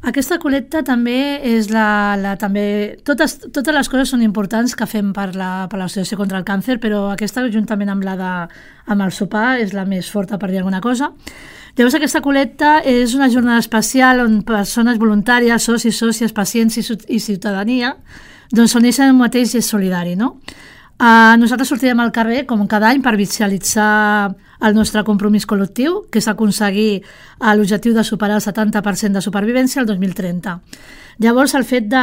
[SPEAKER 5] Aquesta col·lecta també és la... la també, totes, totes les coses són importants que fem per la, per l'Associació contra el Càncer, però aquesta, juntament amb, la de, amb el sopar, és la més forta, per dir alguna cosa. Llavors, aquesta col·lecta és una jornada especial on persones voluntàries, socis, sòcies, pacients i, i ciutadania doncs s'uneixen en un mateix gest solidari, no? Uh, nosaltres sortirem al carrer, com cada any, per visualitzar el nostre compromís col·lectiu, que és aconseguir l'objectiu de superar el setanta per cent de supervivència el dos mil trenta. Llavors, el fet de,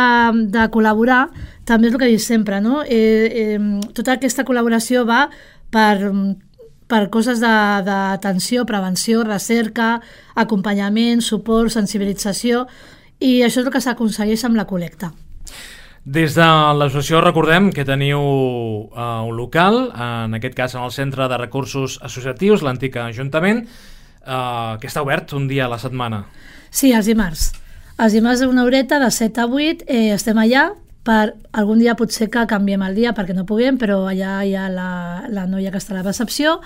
[SPEAKER 5] de col·laborar també és el que dic sempre, no? Eh, eh, tota aquesta col·laboració va per, per coses d'atenció, prevenció, recerca, acompanyament, suport, sensibilització, i això és el que s'aconsegueix amb la col·lecta.
[SPEAKER 2] Des de l'associació recordem que teniu uh, un local, en aquest cas en el Centre de Recursos Associatius, l'antic Ajuntament, uh, que està obert un dia a la setmana.
[SPEAKER 5] Sí, els dimarts. Els dimarts d'una horeta, de set a vuit, eh, estem allà. Per algun dia potser que canviem el dia perquè no puguem, però allà hi ha la, la noia que està a la recepció,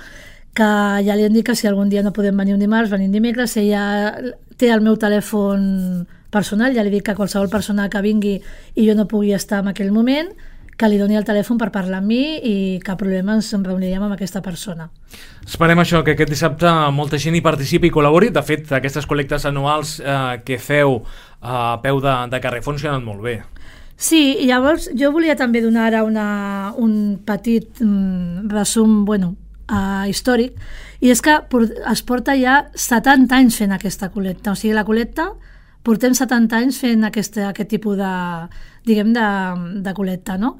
[SPEAKER 5] que ja li han dit que si algun dia no podem venir un dimarts, venim dimecres. Ella té el meu telèfon personal, ja li dic que qualsevol persona que vingui i jo no pugui estar en aquell moment, que li doni el telèfon per parlar amb mi i cap problema ens reuniríem amb aquesta persona.
[SPEAKER 2] Esperem això, que aquest dissabte molta gent hi participi i col·labori. De fet, aquestes col·lectes anuals eh, que feu a peu de, de carrer funcionen molt bé.
[SPEAKER 5] Sí, i llavors jo volia també donar ara una, un petit mm, resum, bueno, uh, històric, i és que es porta ja setanta anys fent aquesta col·lecta. O sigui, la col·lecta portem setanta anys fent aquest, aquest tipus de, diguem, de, de col·lecta, no?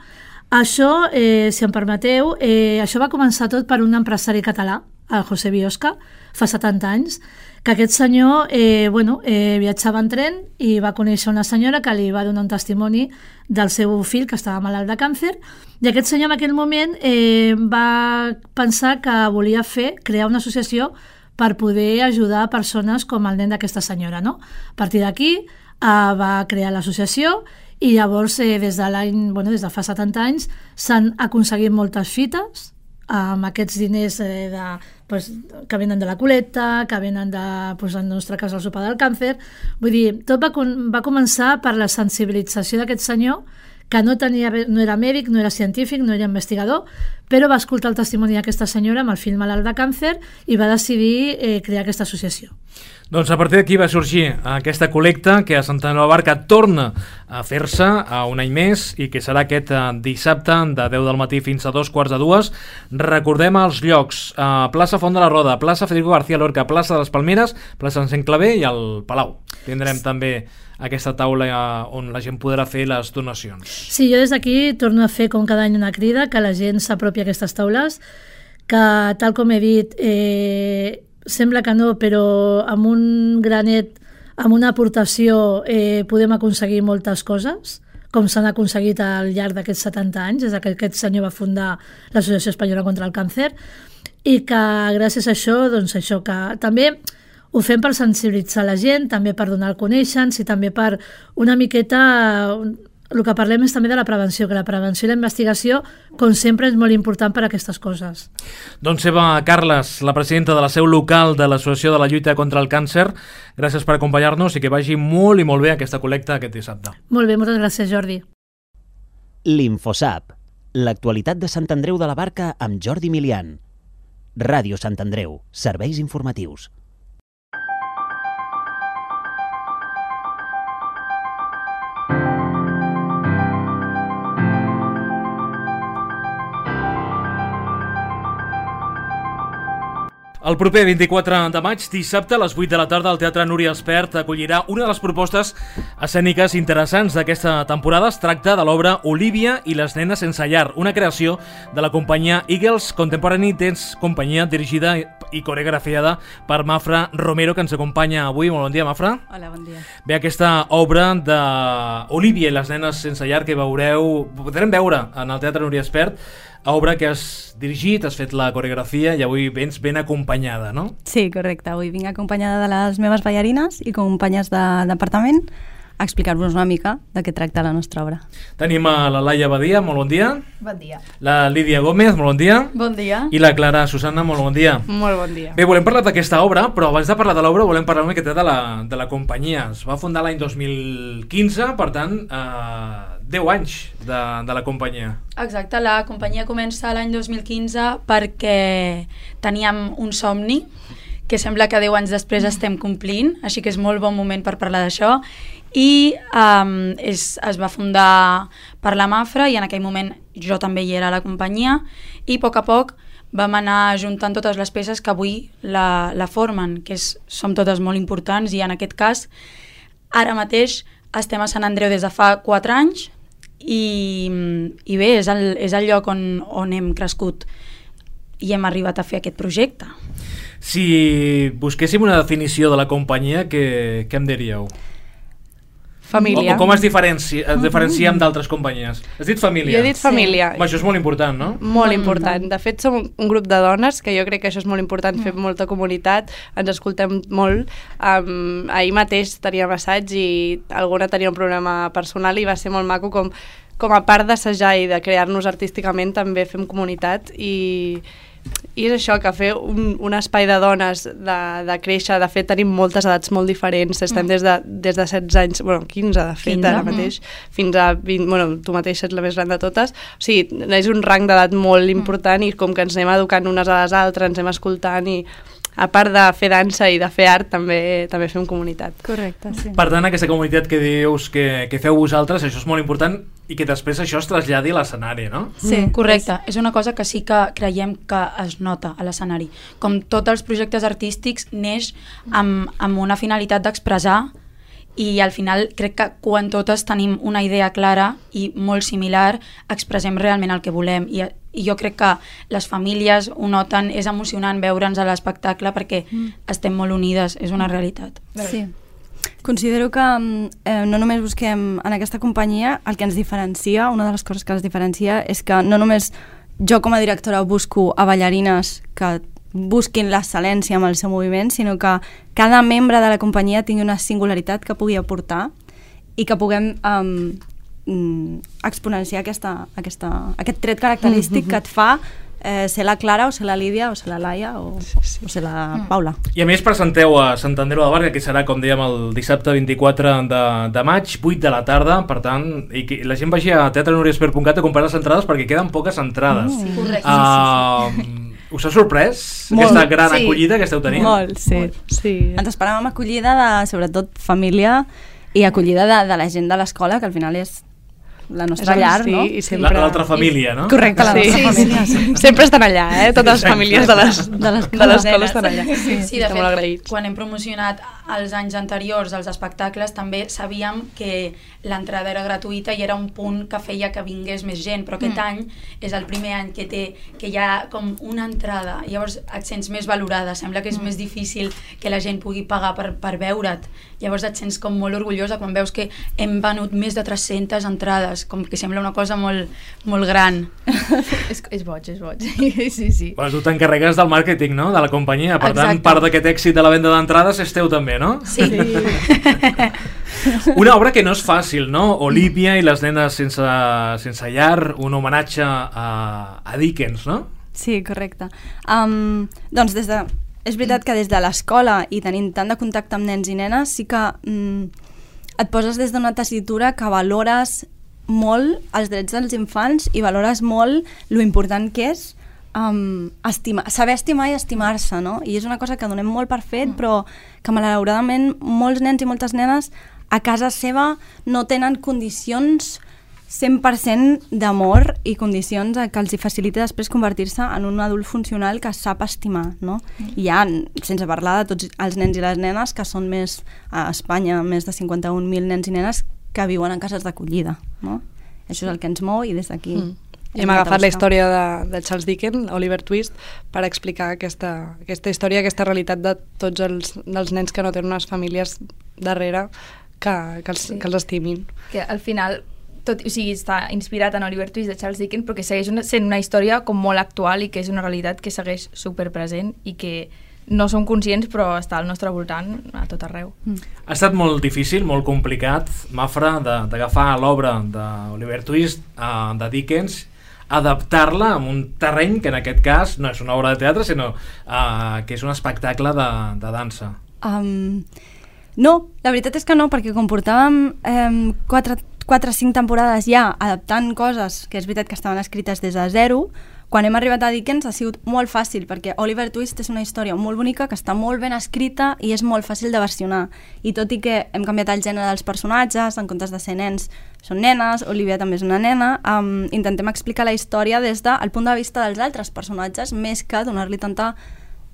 [SPEAKER 5] Això, eh, si em permeteu, eh, això va començar tot per un empresari català, el José Biosca, fa setanta anys, que aquest senyor eh, bueno, eh, viatjava en tren i va conèixer una senyora que li va donar un testimoni del seu fill que estava malalt de càncer, i aquest senyor en aquell moment eh, va pensar que volia fer, crear una associació per poder ajudar persones com el nen d'aquesta senyora, no? A partir d'aquí eh, va crear l'associació i llavors eh, des de l'any, bueno, des de fa setanta anys s'han aconseguit moltes fites amb aquests diners eh, de, pues, que venen de la col·lecta, que venen de, pues, en el nostre cas, el sopar del càncer. Vull dir, tot va, va començar per la sensibilització d'aquest senyor, que no, tenia, no era mèdic, no era científic, no era investigador, però va escoltar el testimoni d'aquesta senyora amb el fill malalt de càncer i va decidir eh, crear aquesta associació.
[SPEAKER 2] Doncs a partir d'aquí va sorgir aquesta col·lecta que a Sant Andreu de la Barca torna a fer-se a un any més i que serà aquest dissabte de deu del matí fins a dos quarts de dues. Recordem els llocs: a plaça Font de la Roda, plaça Federico García Lorca, plaça de les Palmeres, plaça Encén Clavé i el Palau. Tindrem també aquesta taula on la gent podrà fer les donacions.
[SPEAKER 5] Sí, jo des d'aquí torno a fer com cada any una crida que la gent s'apropi a aquestes taules, que tal com he dit, eh, sembla que no, però amb un granet, amb una aportació eh, podem aconseguir moltes coses, com s'han aconseguit al llarg d'aquests setanta anys, des que aquest senyor va fundar l'Associació Espanyola contra el Càncer, i que gràcies a això, doncs això que també ho fem per sensibilitzar la gent, també per donar el conèixer-nos i també per una miqueta... El que parlem és també de la prevenció, que la prevenció i la investigació, com sempre, és molt important per a aquestes coses.
[SPEAKER 2] Doncs Eva Carles, la presidenta de la seu local de l'Associació de la Lluita contra el Càncer, gràcies per acompanyar-nos i que vagi molt i molt bé aquesta col·lecta aquest dissabte.
[SPEAKER 5] Molt bé, moltes gràcies, Jordi.
[SPEAKER 3] L'Infosap, l'actualitat de Sant Andreu de la Barca amb Jordi Milian. Ràdio Sant Andreu, serveis informatius.
[SPEAKER 2] El proper vint-i-quatre de maig, dissabte, a les vuit de la tarda, el Teatre Núria Espert acollirà una de les propostes escèniques interessants d'aquesta temporada. Es tracta de l'obra Olivia i les nenes sense llar, una creació de la companyia Eagles Contemporary Dance, companyia dirigida i coreografiada per Mafra Romero, que ens acompanya avui. Molt bon dia, Mafra.
[SPEAKER 6] Hola, bon dia.
[SPEAKER 2] Bé, aquesta obra d'Olivia i les nenes sense llar que veureu, podrem veure en el Teatre Núria Espert, obra que has dirigit, has fet la coreografia i avui vens ben acompanyada, no?
[SPEAKER 6] Sí, correcte. Avui vinc acompanyada de les meves ballarines i companyes de departament a explicar-vos una mica de què tracta la nostra obra.
[SPEAKER 2] Tenim a la Laia Badia, molt bon dia.
[SPEAKER 7] Bon dia.
[SPEAKER 2] La Lídia Gómez, molt bon dia.
[SPEAKER 7] Bon dia.
[SPEAKER 2] I la Clara Susana, molt bon dia.
[SPEAKER 7] Molt bon dia.
[SPEAKER 2] Bé, volem parlar d'aquesta obra, però abans de parlar de l'obra volem parlar una miqueta de la, de la companyia. Es va fundar l'any dos mil quinze, per tant, eh, deu anys de, de la companyia.
[SPEAKER 7] Exacte, la companyia comença l'any dos mil quinze perquè teníem un somni, que sembla que deu anys després estem complint, així que és molt bon moment per parlar d'això. I um, és, es va fundar per la Mafra i en aquell moment jo també hi era a la companyia i a poc a poc vam anar juntant totes les peces que avui la, la formen, que és, som totes molt importants i en aquest cas ara mateix estem a Sant Andreu des de fa quatre anys i, i bé, és el, és el lloc on, on hem crescut i hem arribat a fer aquest projecte.
[SPEAKER 2] Si busquéssim una definició de la companyia, què, què em diríeu?
[SPEAKER 8] Família.
[SPEAKER 2] O, o com es diferenci, es diferenciem d'altres companyies? Has dit família?
[SPEAKER 8] Jo he dit família.
[SPEAKER 2] Sí. Això és molt important, no?
[SPEAKER 8] Molt important. De fet, som un grup de dones, que jo crec que això és molt important, fer molta comunitat, ens escoltem molt. Um, ahir mateix teníem assaig i alguna tenia un problema personal i va ser molt maco com, com a part d'assajar i de crear-nos artísticament també fem comunitat i... I és això, que fer un, un espai de dones, de, de créixer, de fet tenim moltes edats molt diferents, estem mm. des, de, des de setze anys, bueno, quinze de fet quinze, ara mateix, mm. fins a vint, bueno, tu mateix ets la més gran de totes, o sigui, és un rang d'edat molt important mm. i com que ens anem educant unes a les altres, ens anem escoltant i a part de fer dansa i de fer art, també, també fem comunitat.
[SPEAKER 6] Correcte, sí.
[SPEAKER 2] Per tant, aquesta comunitat que dius que, que feu vosaltres, això és molt important i que després això es traslladi a l'escenari, no?
[SPEAKER 7] Sí, correcte. És una cosa que sí que creiem que es nota a l'escenari. Com tots els projectes artístics, neix amb, amb una finalitat d'expressar i al final crec que quan totes tenim una idea clara i molt similar, expressem realment el que volem i, i jo crec que les famílies ho noten, és emocionant veure'ns a l'espectacle perquè mm. estem molt unides, és una realitat.
[SPEAKER 6] Sí. Considero que eh, no només busquem en aquesta companyia, el que ens diferencia, una de les coses que ens diferencia és que no només jo com a directora busco a ballarines que busquin l'excel·lència amb el seu moviment, sinó que cada membre de la companyia tingui una singularitat que pugui aportar i que puguem um, exponenciar aquesta, aquesta, aquest tret característic mm-hmm. que et fa eh, ser la Clara o ser la Lídia o ser la Laia o, sí, sí. o ser la Paula.
[SPEAKER 2] I a més presenteu a Sant Andreu de la Barca, que serà, com dèiem, el dissabte vint-i-quatre de, de maig, vuit de la tarda, per tant, i que la gent vagi a teatre núria esper punt cat a comprar les entrades perquè queden poques entrades.
[SPEAKER 7] Mm. Correcte.
[SPEAKER 2] Uh, sí, sí, sí. Us ha sorprès
[SPEAKER 6] molt,
[SPEAKER 2] aquesta gran
[SPEAKER 6] sí.
[SPEAKER 2] acollida que esteu tenint?
[SPEAKER 6] Molt, sí. Molt. sí. Ens esperàvem acollida de, sobretot, família i acollida de, de la gent de l'escola, que al final és la nostra és llar, sí, no?
[SPEAKER 8] I sempre...
[SPEAKER 2] L'altra família, no?
[SPEAKER 8] Correcte, la
[SPEAKER 6] sí.
[SPEAKER 8] nostra família. Sí, sí. Sempre estan allà, eh? Totes les famílies de les
[SPEAKER 6] de
[SPEAKER 8] l'escola estan allà.
[SPEAKER 7] Sí, sí, de fet,
[SPEAKER 8] agraïts.
[SPEAKER 7] quan hem promocionat els anys anteriors els espectacles també sabíem que l'entrada era gratuïta i era un punt que feia que vingués més gent, però aquest mm. any és el primer any que té que hi ha com una entrada, llavors et sents més valorada, sembla que és mm. més difícil que la gent pugui pagar per, per veure't, llavors et sents com molt orgullosa quan veus que hem venut més de tres-centes entrades, com que sembla una cosa molt, molt gran.
[SPEAKER 9] és, és boig, és boig. sí, sí.
[SPEAKER 2] Bueno, tu t'encarregues del màrqueting, no?, de la companyia, per Exacte. tant, part d'aquest èxit de la venda d'entrades és teu també, no?
[SPEAKER 7] Sí.
[SPEAKER 2] Una obra que no és fàcil, no? Olivia i les nenes sense, sense llar, un homenatge a, a Dickens, no?
[SPEAKER 6] Sí, correcte. Um, doncs des de... És veritat que des de l'escola i tenint tant de contacte amb nens i nenes sí que um, et poses des d'una tessitura que valores molt els drets dels infants i valores molt lo important que és Um, estima, saber estimar i estimar-se, no? I és una cosa que donem molt per fet, mm. però que malauradament molts nens i moltes nenes a casa seva no tenen condicions cent per cent d'amor i condicions que els hi facilita després convertir-se en un adult funcional que sap estimar, no? Mm. I ja, sense parlar de tots els nens i les nenes que són més, a Espanya, més de cinquanta-un mil nens i nenes que viuen en cases d'acollida, no? Això és el que ens mou i des d'aquí... Mm.
[SPEAKER 8] I hem agafat la història de, de Charles Dickens, Oliver Twist, per explicar aquesta, aquesta història, aquesta realitat de tots els, dels nens que no tenen unes famílies darrere que, que, els, sí. que els estimin.
[SPEAKER 9] Que al final, tot, o sigui, està inspirat en Oliver Twist de Charles Dickens, però que segueix una, sent una història com molt actual i que és una realitat que segueix superpresent i que no som conscients, però està al nostre voltant a tot arreu. Mm.
[SPEAKER 2] Ha estat molt difícil, molt complicat, Mafra, d'agafar l'obra d'Oliver Twist, uh, de Dickens, adaptar-la a un terreny que en aquest cas no és una obra de teatre, sinó uh, que és un espectacle de, de dansa.
[SPEAKER 6] Um, no, la veritat és que no, perquè com portàvem um, quatre o cinc temporades ja adaptant coses que és veritat que estaven escrites des de zero, Quan hem arribat a Dickens ha sigut molt fàcil, perquè Oliver Twist és una història molt bonica, que està molt ben escrita i és molt fàcil de versionar. I tot i que hem canviat el gènere dels personatges, en comptes de ser nens són nenes, Olivia també és una nena, um, intentem explicar la història des del punt de vista dels altres personatges, més que donar-li tanta,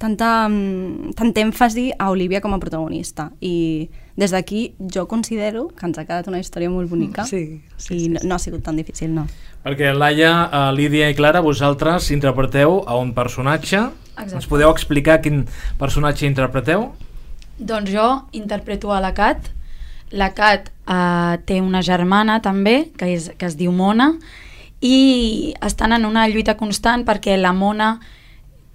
[SPEAKER 6] tanta, um, tant èmfasi a Olivia com a protagonista. I des d'aquí jo considero que ens ha quedat una història molt bonica
[SPEAKER 8] sí, sí,
[SPEAKER 6] i
[SPEAKER 8] sí,
[SPEAKER 6] no,
[SPEAKER 8] sí.
[SPEAKER 6] no ha sigut tan difícil, no.
[SPEAKER 2] Perquè Laia, uh, Lídia i Clara, vosaltres interpreteu a un personatge.
[SPEAKER 7] Exacte.
[SPEAKER 2] Ens podeu explicar quin personatge interpreteu?
[SPEAKER 7] Doncs jo interpreto a la Cat. La Cat eh, té una germana també, que, és, que es diu Mona, i estan en una lluita constant perquè la Mona,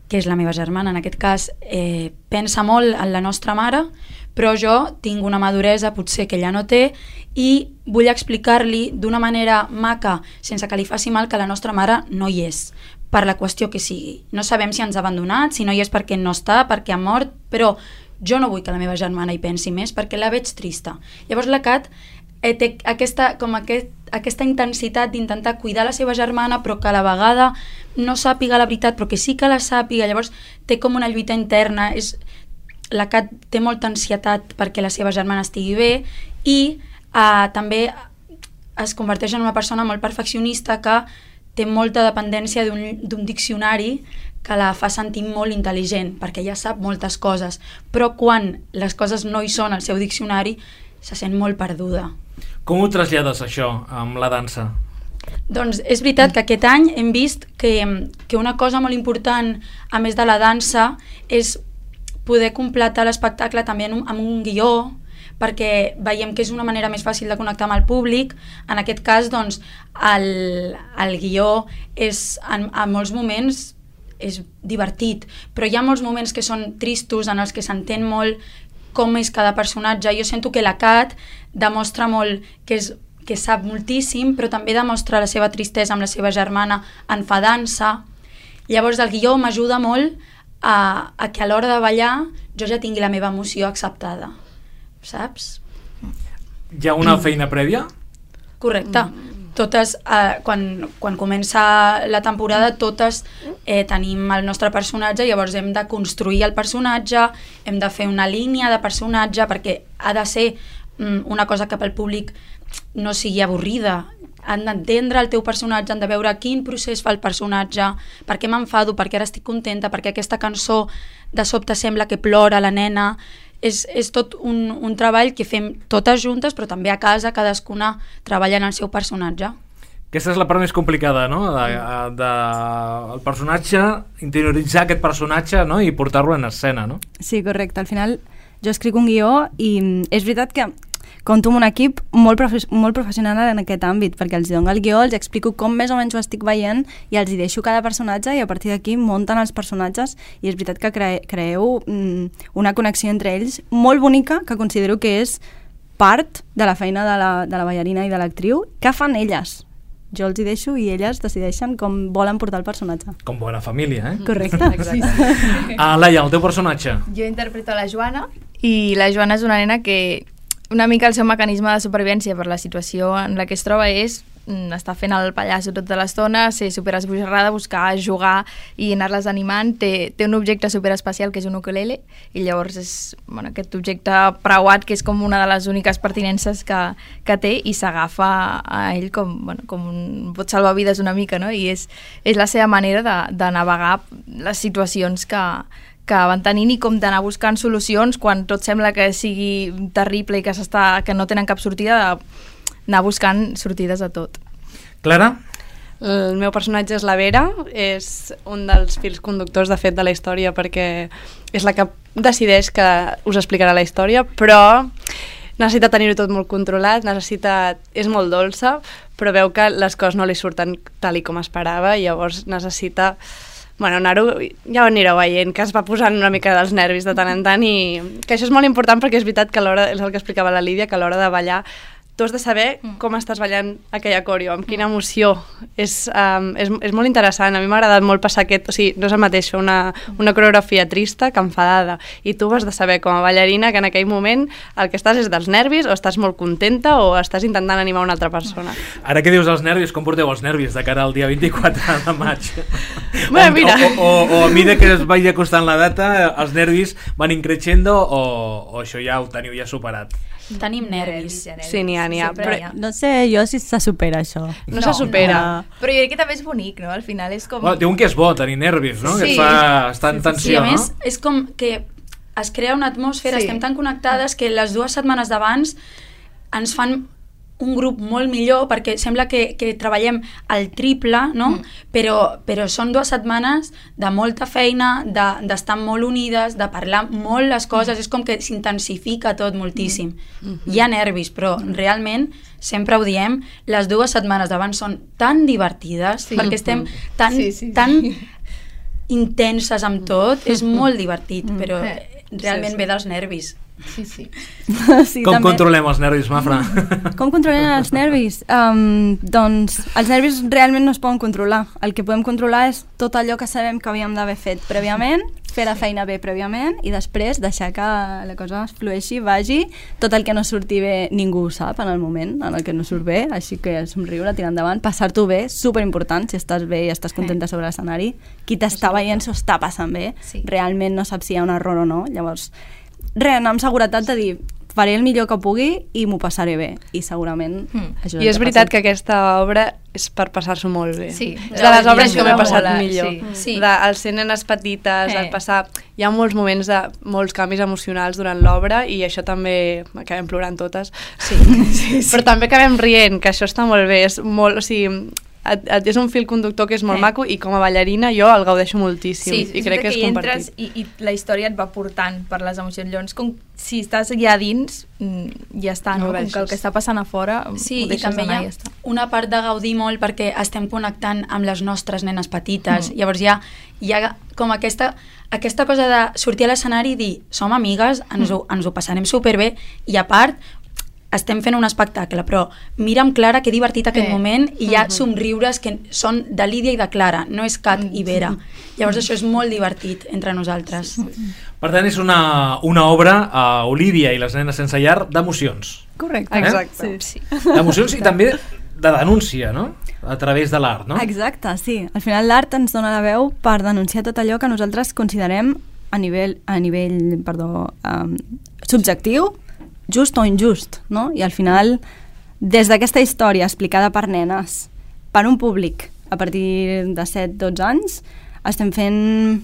[SPEAKER 7] que és la meva germana en aquest cas, eh, pensa molt en la nostra mare, però jo tinc una maduresa potser que ella no té i vull explicar-li d'una manera maca, sense que li faci mal, que la nostra mare no hi és, per la qüestió que sigui. No sabem si ens ha abandonat, si no hi és perquè no està, perquè ha mort, però jo no vull que la meva germana hi pensi més perquè la veig trista. Llavors la Cat eh, té aquesta, com aquest, aquesta intensitat d'intentar cuidar la seva germana, però que a la vegada no sàpiga la veritat, però que sí que la sàpiga. Llavors té com una lluita interna. És... La Cat té molta ansietat perquè la seva germana estigui bé i eh, també es converteix en una persona molt perfeccionista que té molta dependència d'un diccionari que la fa sentir molt intel·ligent, perquè ella sap moltes coses, però quan les coses no hi són al seu diccionari se sent molt perduda.
[SPEAKER 2] Com ho trasllades això amb la dansa?
[SPEAKER 7] Doncs és veritat que aquest any hem vist que, que una cosa molt important, a més de la dansa, és poder completar l'espectacle també en un, amb un guió, perquè veiem que és una manera més fàcil de connectar amb el públic. En aquest cas, doncs, el, el guió és, en, en molts moments és divertit, però hi ha molts moments que són tristos, en els que s'entén molt com és cada personatge. Jo sento que la Cat demostra molt que, és, que sap moltíssim, però també demostra la seva tristesa amb la seva germana enfadant-se. Llavors el guió m'ajuda molt a, a que a l'hora de ballar jo ja tingui la meva emoció acceptada, saps?
[SPEAKER 2] Hi ha una feina prèvia?
[SPEAKER 7] Correcte. Totes, eh, quan, quan comença la temporada, totes eh, tenim el nostre personatge, llavors hem de construir el personatge, hem de fer una línia de personatge, perquè ha de ser mm, una cosa que pel públic no sigui avorrida. Han d'entendre el teu personatge, han de veure quin procés fa el personatge, per què m'enfado, per què ara estic contenta, perquè aquesta cançó de sobte sembla que plora la nena. És, és tot un, un treball que fem totes juntes, però també a casa cadascuna treballa en el seu personatge.
[SPEAKER 2] Aquesta és la part més complicada, no? De, de, el personatge, interioritzar aquest personatge, no? I portar-lo en escena, no?
[SPEAKER 6] Sí, correcte. Al final jo escric un guió i és veritat que compto amb un equip molt, profe molt professional en aquest àmbit, perquè els dono el guió, els explico com més o menys ho estic veient i els hi deixo cada personatge i a partir d'aquí munten els personatges i és veritat que cre creeu mm, una connexió entre ells molt bonica, que considero que és part de la feina de la, de la ballarina i de l'actriu, que fan elles. Jo els hi deixo i elles decideixen com volen portar el personatge.
[SPEAKER 2] Com bona família, eh?
[SPEAKER 6] Correcte.
[SPEAKER 9] Sí.
[SPEAKER 2] Ah, Laia, el teu personatge?
[SPEAKER 9] Jo interpreto la Joana i la Joana és una nena que una mica el seu mecanisme de supervivència per la situació en la que es troba és mm, estar fent el pallasso tota l'estona, ser superesbojarrada, buscar jugar i anar-les animant. Té, té un objecte superespecial que és un ukulele i llavors és bueno, aquest objecte preuat que és com una de les úniques pertinences que, que té i s'agafa a ell com, bueno, com un pot salvavides una mica, no? I és, és la seva manera de, de navegar les situacions que que van tenint i com d'anar buscant solucions quan tot sembla que sigui terrible i que, que no tenen cap sortida, d'anar buscant sortides a tot.
[SPEAKER 2] Clara?
[SPEAKER 8] El meu personatge és la Vera, és un dels fils conductors de fet de la història perquè és la que decideix que us explicarà la història, però necessita tenir-ho tot molt controlat, necessita, és molt dolça, però veu que les coses no li surten tal i com esperava i llavors necessita... Bueno, anar-ho, ja ho anireu veient, que es va posant una mica dels nervis de tant en tant i que això és molt important perquè és veritat que a l'hora, és el que explicava la Lídia, que a l'hora de ballar tu has de saber com estàs ballant aquella coreo, amb quina emoció. És, um, és, és molt interessant. A mi m'ha agradat molt passar aquest... O sigui, no és el mateix fer una, una coreografia trista que enfadada. I tu has de saber, com a ballarina, que en aquell moment el que estàs és dels nervis, o estàs molt contenta, o estàs intentant animar una altra persona.
[SPEAKER 2] Ara que dius els nervis, com porteu els nervis de cara al dia vint-i-quatre de maig?
[SPEAKER 8] Bé, mira.
[SPEAKER 2] O, o, o, o a mesura que es vagi acostant la data, els nervis van increixendo, o, o això ja ho teniu ja superat?
[SPEAKER 7] Tenim nervis.
[SPEAKER 8] Sí, n'hi ha, n'hi ha.
[SPEAKER 6] Però no sé jo si se supera això.
[SPEAKER 8] No, no se supera.
[SPEAKER 9] No. Però jo crec que també és bonic, no? Al final és com...
[SPEAKER 2] Bueno, diuen que és bo tenir nervis, no?
[SPEAKER 9] Sí.
[SPEAKER 2] Que et fa estar en tensió,
[SPEAKER 7] sí, a més,
[SPEAKER 2] no?
[SPEAKER 7] és com que es crea una atmosfera,
[SPEAKER 9] Sí.
[SPEAKER 7] estem tan connectades que les dues setmanes d'abans ens fan un grup molt millor, perquè sembla que, que treballem al triple, no? Mm. Però, però són dues setmanes de molta feina, d'estar de, molt unides, de parlar molt les coses, mm. és com que s'intensifica tot moltíssim. Mm. Mm-hmm. Hi ha nervis, però mm. realment, sempre ho diem, les dues setmanes d'abans són tan divertides, sí. perquè estem tan, sí, sí, sí. tan intenses amb tot, és molt divertit, però realment sí, sí. ve dels nervis.
[SPEAKER 9] Sí, sí.
[SPEAKER 6] Sí,
[SPEAKER 2] Com
[SPEAKER 6] també.
[SPEAKER 2] controlem els nervis, Mafra?
[SPEAKER 6] Com controlem els nervis? Um, doncs els nervis realment no es poden controlar. El que podem controlar és tot allò que sabem que havíem d'haver fet prèviament, fer la feina bé prèviament i després deixar que la cosa es flueixi, vagi. Tot el que no surti bé ningú ho sap en el moment en el que no surt bé, així que somriure, tirar endavant, passar-t'ho bé, superimportant, si estàs bé i estàs contenta sobre l'escenari. Qui t'està veient s'ho està passant bé,
[SPEAKER 9] Sí.
[SPEAKER 6] realment no sap si hi ha un error o no, llavors res, anar amb seguretat de dir faré el millor que pugui i m'ho passaré bé i segurament mm. això
[SPEAKER 8] I és veritat que aquesta obra és per passar-s'ho molt bé.
[SPEAKER 9] Sí.
[SPEAKER 8] És de les obres que m'he passat
[SPEAKER 9] mola,
[SPEAKER 8] millor.
[SPEAKER 9] sí.
[SPEAKER 7] Sí.
[SPEAKER 8] De, el ser nenes petites,
[SPEAKER 9] Eh.
[SPEAKER 8] el passar... Hi ha molts moments de molts canvis emocionals durant l'obra i això també acabem plorant totes.
[SPEAKER 7] Sí.
[SPEAKER 8] sí, sí. Però també acabem rient, que això està molt bé. És molt, o sigui, et, et, és un fil conductor que és molt
[SPEAKER 9] Eh.
[SPEAKER 8] maco i com a ballarina jo el gaudeixo moltíssim
[SPEAKER 9] Sí,
[SPEAKER 8] i crec que és
[SPEAKER 9] hi entres
[SPEAKER 8] compartit.
[SPEAKER 9] i, i la història et va portant per les emocions. Llavors, com si estàs allà dins, mm, ja està, no?
[SPEAKER 8] No ho
[SPEAKER 9] Com que el que està passant a fora
[SPEAKER 7] Sí,
[SPEAKER 9] ho
[SPEAKER 7] i
[SPEAKER 9] deixes
[SPEAKER 7] també hi
[SPEAKER 9] anar
[SPEAKER 7] ha
[SPEAKER 9] i ja està.
[SPEAKER 7] una part de gaudir molt perquè estem connectant amb les nostres nenes petites. Mm. Llavors hi ha, hi ha com aquesta, aquesta cosa de sortir a l'escenari i dir som amigues, ens ho, ens ho passarem superbé i a part estem fent un espectacle, però mira amb Clara que divertit aquest
[SPEAKER 9] Eh.
[SPEAKER 7] moment i hi ha somriures que són de Lídia i de Clara, no és Cat i Vera. Llavors això és molt divertit entre nosaltres.
[SPEAKER 2] Per tant, és una, una obra, a Olívia i les nenes sense llar, d'emocions.
[SPEAKER 6] correcte.
[SPEAKER 8] Exacte.
[SPEAKER 6] Sí.
[SPEAKER 2] D'emocions i també de denúncia, no? A través de l'art, no?
[SPEAKER 6] Exacte, sí. Al final l'art ens dona la veu per denunciar tot allò que nosaltres considerem a nivell, a nivell perdó, um, subjectiu, just o injust, no? I al final, des d'aquesta història explicada per nenes, per un públic a partir de set dotze anys, estem fent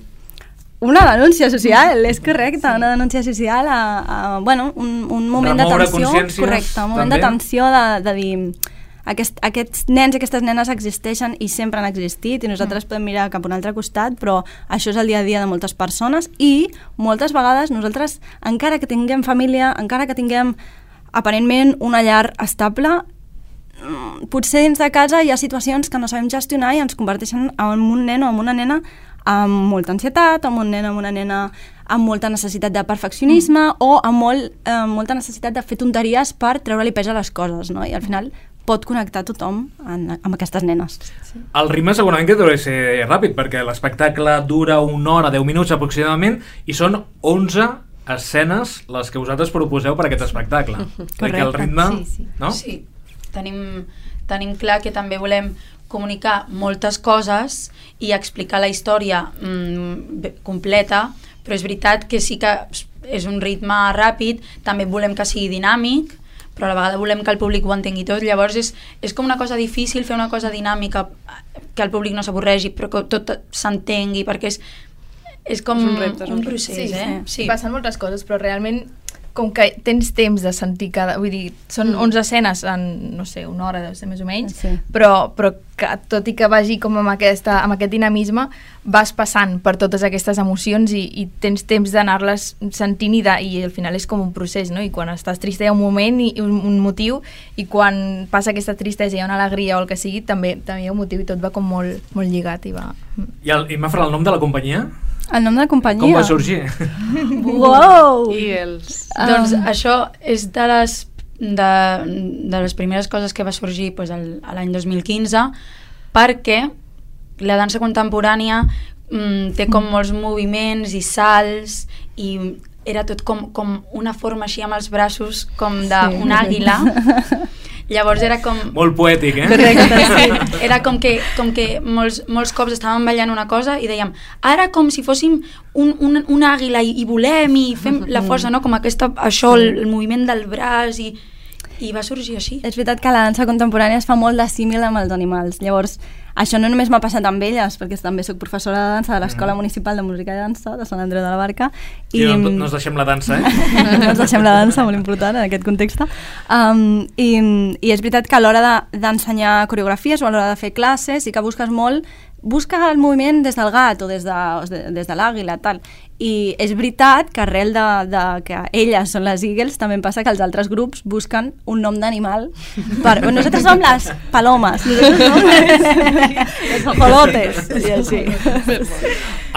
[SPEAKER 6] una denúncia social, és correcte, sí. Una denúncia social a, a bueno, un, un moment
[SPEAKER 2] Remoure
[SPEAKER 6] d'atenció,
[SPEAKER 2] consciències,
[SPEAKER 6] correcte, un moment
[SPEAKER 2] també.
[SPEAKER 6] d'atenció de, de dir aquest, aquests nens i aquestes nenes existeixen i sempre han existit i nosaltres mm. podem mirar cap a un altre costat, però això és el dia a dia de moltes persones i moltes vegades nosaltres, encara que tinguem família, encara que tinguem aparentment una llar estable, potser dins de casa hi ha situacions que no sabem gestionar i ens converteixen en un nen o en una nena amb molta ansietat, amb un nen o amb una nena amb molta necessitat de perfeccionisme mm. o amb molt, eh, molta necessitat de fer tonteries per treure-li pes a les coses, no? I al final pot connectar tothom en, amb aquestes nenes.
[SPEAKER 2] Sí. El ritme segurament que deu ser ràpid, perquè l'espectacle dura una hora, deu minuts aproximadament, i són onze escenes les que vosaltres proposeu per aquest espectacle. Correcte. El ritme,
[SPEAKER 9] sí, sí.
[SPEAKER 2] no?
[SPEAKER 7] Sí, tenim, tenim clar que també volem comunicar moltes coses i explicar la història mm, completa, però és veritat que sí que és un ritme ràpid, també volem que sigui dinàmic, però a la vegada volem que el públic ho entengui tot, llavors és, és com una cosa difícil fer una cosa dinàmica que el públic no s'avorregi, però que tot s'entengui, perquè és, és com
[SPEAKER 8] és un, repte, és
[SPEAKER 7] un,
[SPEAKER 8] un
[SPEAKER 7] procés,
[SPEAKER 9] sí,
[SPEAKER 7] eh?
[SPEAKER 9] Sí. Sí. Passen moltes coses, però realment com que tens temps de sentir cada... Vull dir, són mm. onze escenes en, no sé, una hora, deu ser més o menys,
[SPEAKER 6] sí.
[SPEAKER 9] però, però que, tot i que vagi com amb, aquesta, amb aquest dinamisme, vas passant per totes aquestes emocions i, i tens temps d'anar-les sentint i, de, i al final és com un procés, no? I quan estàs trista hi ha un moment i un, un motiu, i quan passa aquesta tristesa i hi ha una alegria o el que sigui, també, també hi ha un motiu i tot va com molt, molt lligat i va...
[SPEAKER 2] I, el, i Mafra, el nom de la companyia?
[SPEAKER 6] El nom de la companyia?
[SPEAKER 2] Com va sorgir?
[SPEAKER 6] Wow!
[SPEAKER 8] I els...
[SPEAKER 7] Um, doncs això és de les de, de les primeres coses que va sorgir pues, el, l'any dos mil quinze, perquè la dansa contemporània mm, té com molts moviments i salts i era tot com, com una forma així amb els braços com d'un sí. àguila. Llavors era com...
[SPEAKER 2] Molt poètic, eh?
[SPEAKER 7] Correcte, sí. Era com que, com que molts, molts cops estàvem ballant una cosa i dèiem, ara com si fóssim un, un, un àguila i, i volem i fem la força, no? Com aquesta, això, el, el moviment del braç i, i va sorgir així.
[SPEAKER 6] És veritat que la dansa contemporània es fa molt de símil amb els animals. Llavors, això no només m'ha passat amb elles, perquè també soc professora de dansa de l'Escola mm. Municipal de Música i Dansa de Sant Andreu de la Barca.
[SPEAKER 2] I, I no, no ens deixem la dansa, eh?
[SPEAKER 6] No ens deixem la dansa, molt important en aquest context. Um, i, I és veritat que a l'hora d'ensenyar de, coreografies o a l'hora de fer classes sí que busques molt, busca el moviment des del gat o des de, des de l'àguila, tal. I és veritat que arrel de, de que elles són les Eagles també em passa que els altres grups busquen un nom d'animal per... Nosaltres som les palomes, nosaltres som les, les ajolotes i així.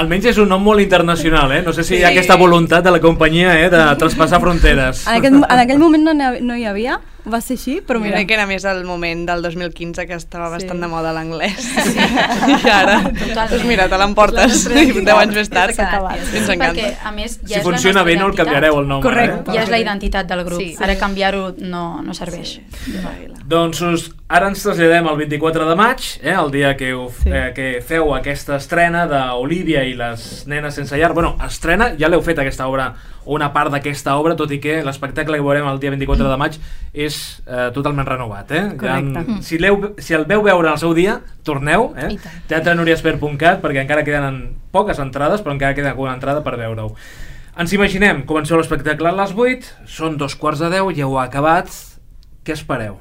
[SPEAKER 2] Almenys és un nom molt internacional, eh? No sé si hi ha aquesta voluntat de la companyia eh, de traspassar fronteres.
[SPEAKER 6] En, aquest, en aquell moment no, no hi havia, va ser així, però mira...
[SPEAKER 8] Crec que era més el moment del dos mil quinze que estava sí. bastant de moda l'anglès. Sí. I ara, doncs mira, te l'emportes deu anys més tard. Ens encanta.
[SPEAKER 7] Perquè, a més, ja
[SPEAKER 2] si funciona bé no el canviareu el nom.
[SPEAKER 7] Correcte.
[SPEAKER 2] Eh?
[SPEAKER 7] Ja és la identitat del grup.
[SPEAKER 6] Sí.
[SPEAKER 7] Ara canviar-ho no, no serveix.
[SPEAKER 6] Sí.
[SPEAKER 2] Doncs us, ara ens traslladem al vint-i-quatre de maig, eh, el dia que, ho, sí. eh, que feu aquesta estrena d'Olivia i les nenes sense llar. Bueno, estrena, ja l'heu fet aquesta obra, una part d'aquesta obra, tot i que l'espectacle que veurem el dia vint-i-quatre de maig és eh, totalment renovat. Eh?
[SPEAKER 6] Correcte.
[SPEAKER 2] Ja, si, si el veu veure el seu dia, torneu, eh? teatre nuriespert punt cat, perquè encara queden poques entrades, però encara queda alguna entrada per veure-ho. Ens imaginem, comenceu l'espectacle a les vuit, són dos quarts de deu, ja ho ha acabat, què espereu?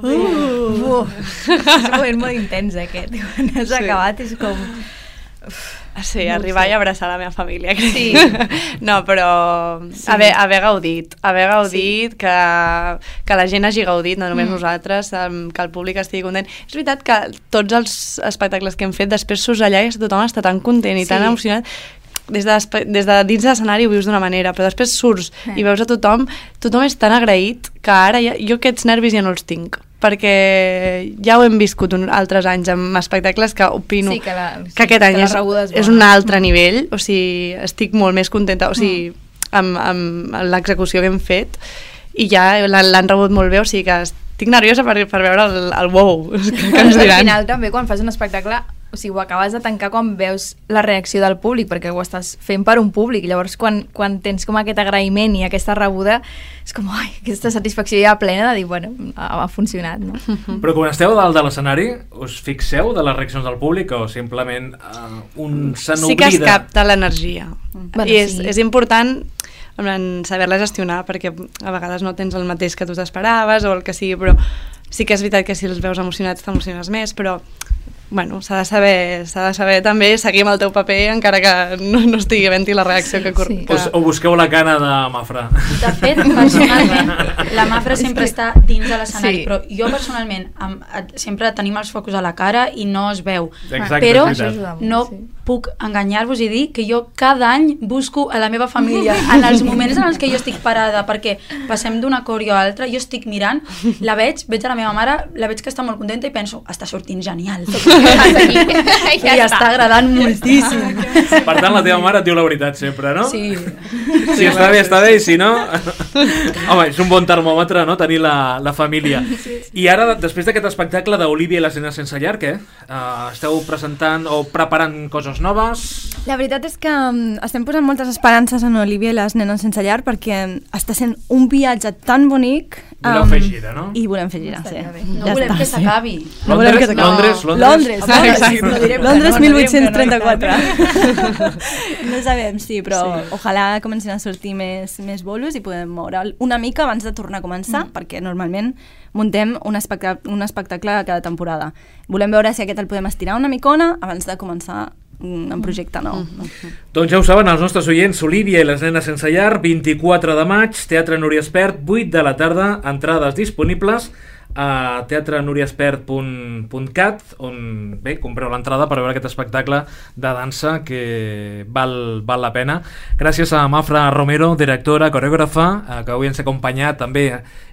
[SPEAKER 9] Uh, uh, uh. És un moment molt intens aquest, quan has sí. acabat és com...
[SPEAKER 8] Uf. Sí, no arribar sé. I abraçar la meva família, crec.
[SPEAKER 9] Sí.
[SPEAKER 8] No, però sí. haver, haver gaudit, haver gaudit, sí. que, que la gent hagi gaudit, no només mm. nosaltres, que el públic estigui content. És veritat que tots els espectacles que hem fet, després surts allà i tothom està tan content i sí. tan emocionat. Des de, des de dins de l'escenari ho vius d'una manera, però després surts eh. i veus a tothom, tothom és tan agraït que ara ja, jo aquests nervis ja no els tinc, perquè ja ho hem viscut un, altres anys amb espectacles que opino
[SPEAKER 9] sí, que, la, sí,
[SPEAKER 8] que aquest any
[SPEAKER 9] que
[SPEAKER 8] és, és un altre mm. nivell, o sigui, estic molt més contenta, o sigui, mm. amb, amb l'execució que hem fet i ja l'han rebut molt bé, o sigui que estic nerviosa per, per veure el, el wow que, que ens diran.
[SPEAKER 9] Al final també quan fas un espectacle o sigui, ho acabes de tancar quan veus la reacció del públic, perquè ho estàs fent per un públic, llavors quan, quan tens com aquest agraïment i aquesta rebuda és com, ai, aquesta satisfacció ja plena de dir, bueno, ha, ha funcionat, no?
[SPEAKER 2] Però quan esteu dalt de l'escenari, us fixeu de les reaccions del públic o simplement uh, un se n'oblida?
[SPEAKER 8] Sí que es capta l'energia,
[SPEAKER 9] bueno,
[SPEAKER 8] i és,
[SPEAKER 9] sí.
[SPEAKER 8] és important saber-la gestionar, perquè a vegades no tens el mateix que tu t'esperaves o el que sigui, però sí que és veritat que si els veus emocionats t'emociones més, però bueno, s'ha de saber, s'ha de saber també seguir amb el teu paper encara que no, no estigui havent-hi la reacció que...
[SPEAKER 9] Sí.
[SPEAKER 8] que...
[SPEAKER 2] O, o busqueu la cana de Mafra.
[SPEAKER 7] De fet, personalment, la Mafra sempre està dins de l'escenari, sí. però jo personalment amb, sempre tenim els focus a la cara i no es veu.
[SPEAKER 2] Exacte,
[SPEAKER 7] però no
[SPEAKER 9] sí.
[SPEAKER 7] puc enganyar-vos i dir que jo cada any busco a la meva família en els moments en els que jo estic parada perquè passem d'una coreo a l'altra, jo estic mirant, la veig, veig a la meva mare, la veig que està molt contenta i penso, està sortint genial. I ja està. està agradant moltíssim.
[SPEAKER 2] Per tant, la teva mare et diu la veritat sempre, no?
[SPEAKER 7] Sí.
[SPEAKER 2] Si està bé, està bé, i si no... Home, és un bon termòmetre, no?, tenir la, la família. I ara, després d'aquest espectacle d'Olivia i les nenes sense llar, què? Uh, esteu presentant o preparant coses noves?
[SPEAKER 6] La veritat és que um, estem posant moltes esperances en Olivia i les nenes sense llar perquè està sent un viatge tan bonic.
[SPEAKER 2] Voleu fer gira, no?
[SPEAKER 6] I volem fer gira, sí.
[SPEAKER 7] No ja volem està, que s'acabi.
[SPEAKER 6] Sí. No volem que s'acabi.
[SPEAKER 2] Londres, Londres.
[SPEAKER 6] Londres,
[SPEAKER 2] ah,
[SPEAKER 6] Londres, no direm Londres no, mil vuit-cents trenta-quatre. No sabem, sí, però sí. Ojalà comencin a sortir més, més bolos i podem moure una mica abans de tornar a començar, mm. perquè normalment muntem un espectacle, un espectacle cada temporada. Volem veure si aquest el podem estirar una micona abans de començar en projecte nou. Mm -hmm.
[SPEAKER 2] Doncs ja ho saben els nostres oients, Olivia i les nenes sense llar, vint-i-quatre de maig, Teatre Nuriespert, vuit de la tarda, entrades disponibles a teatre nuriaspert punt cat, on bé, compreu l'entrada per veure aquest espectacle de dansa que val, val la pena. Gràcies a Mafra Romero, directora, coreògrafa, eh, que avui ens ha acompanyat, també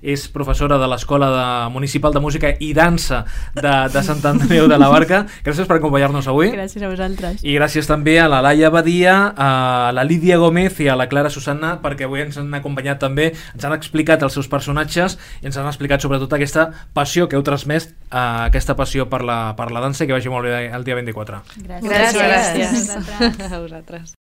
[SPEAKER 2] és professora de l'Escola de, Municipal de Música i Dansa de, de Sant Andreu de la Barca. Gràcies per acompanyar-nos avui.
[SPEAKER 8] Gràcies a vosaltres.
[SPEAKER 2] I gràcies també a la Laia Badia, a la Lídia Gómez i a la Clara Susanna, perquè avui ens han acompanyat també, ens han explicat els seus personatges i ens han explicat sobretot aquesta passió que heu transmès, eh, aquesta passió per la, per la dansa, i que vagi molt bé el dia vint-i-quatre.
[SPEAKER 8] Gràcies. Gràcies. Gràcies. A vosaltres.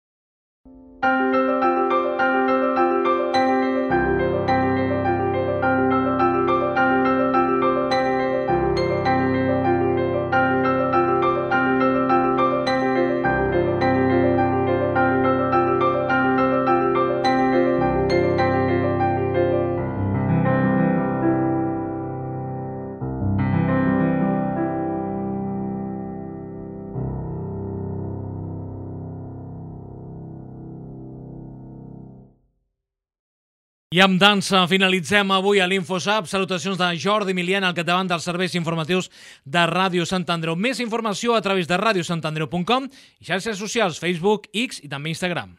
[SPEAKER 2] I amb dansa finalitzem avui a l'InfoSap. Salutacions de Jordi Milian al capdavant dels serveis informatius de Ràdio Sant Andreu. Més informació a través de radiosantandreu punt com i xarxes socials, Facebook, X i també Instagram.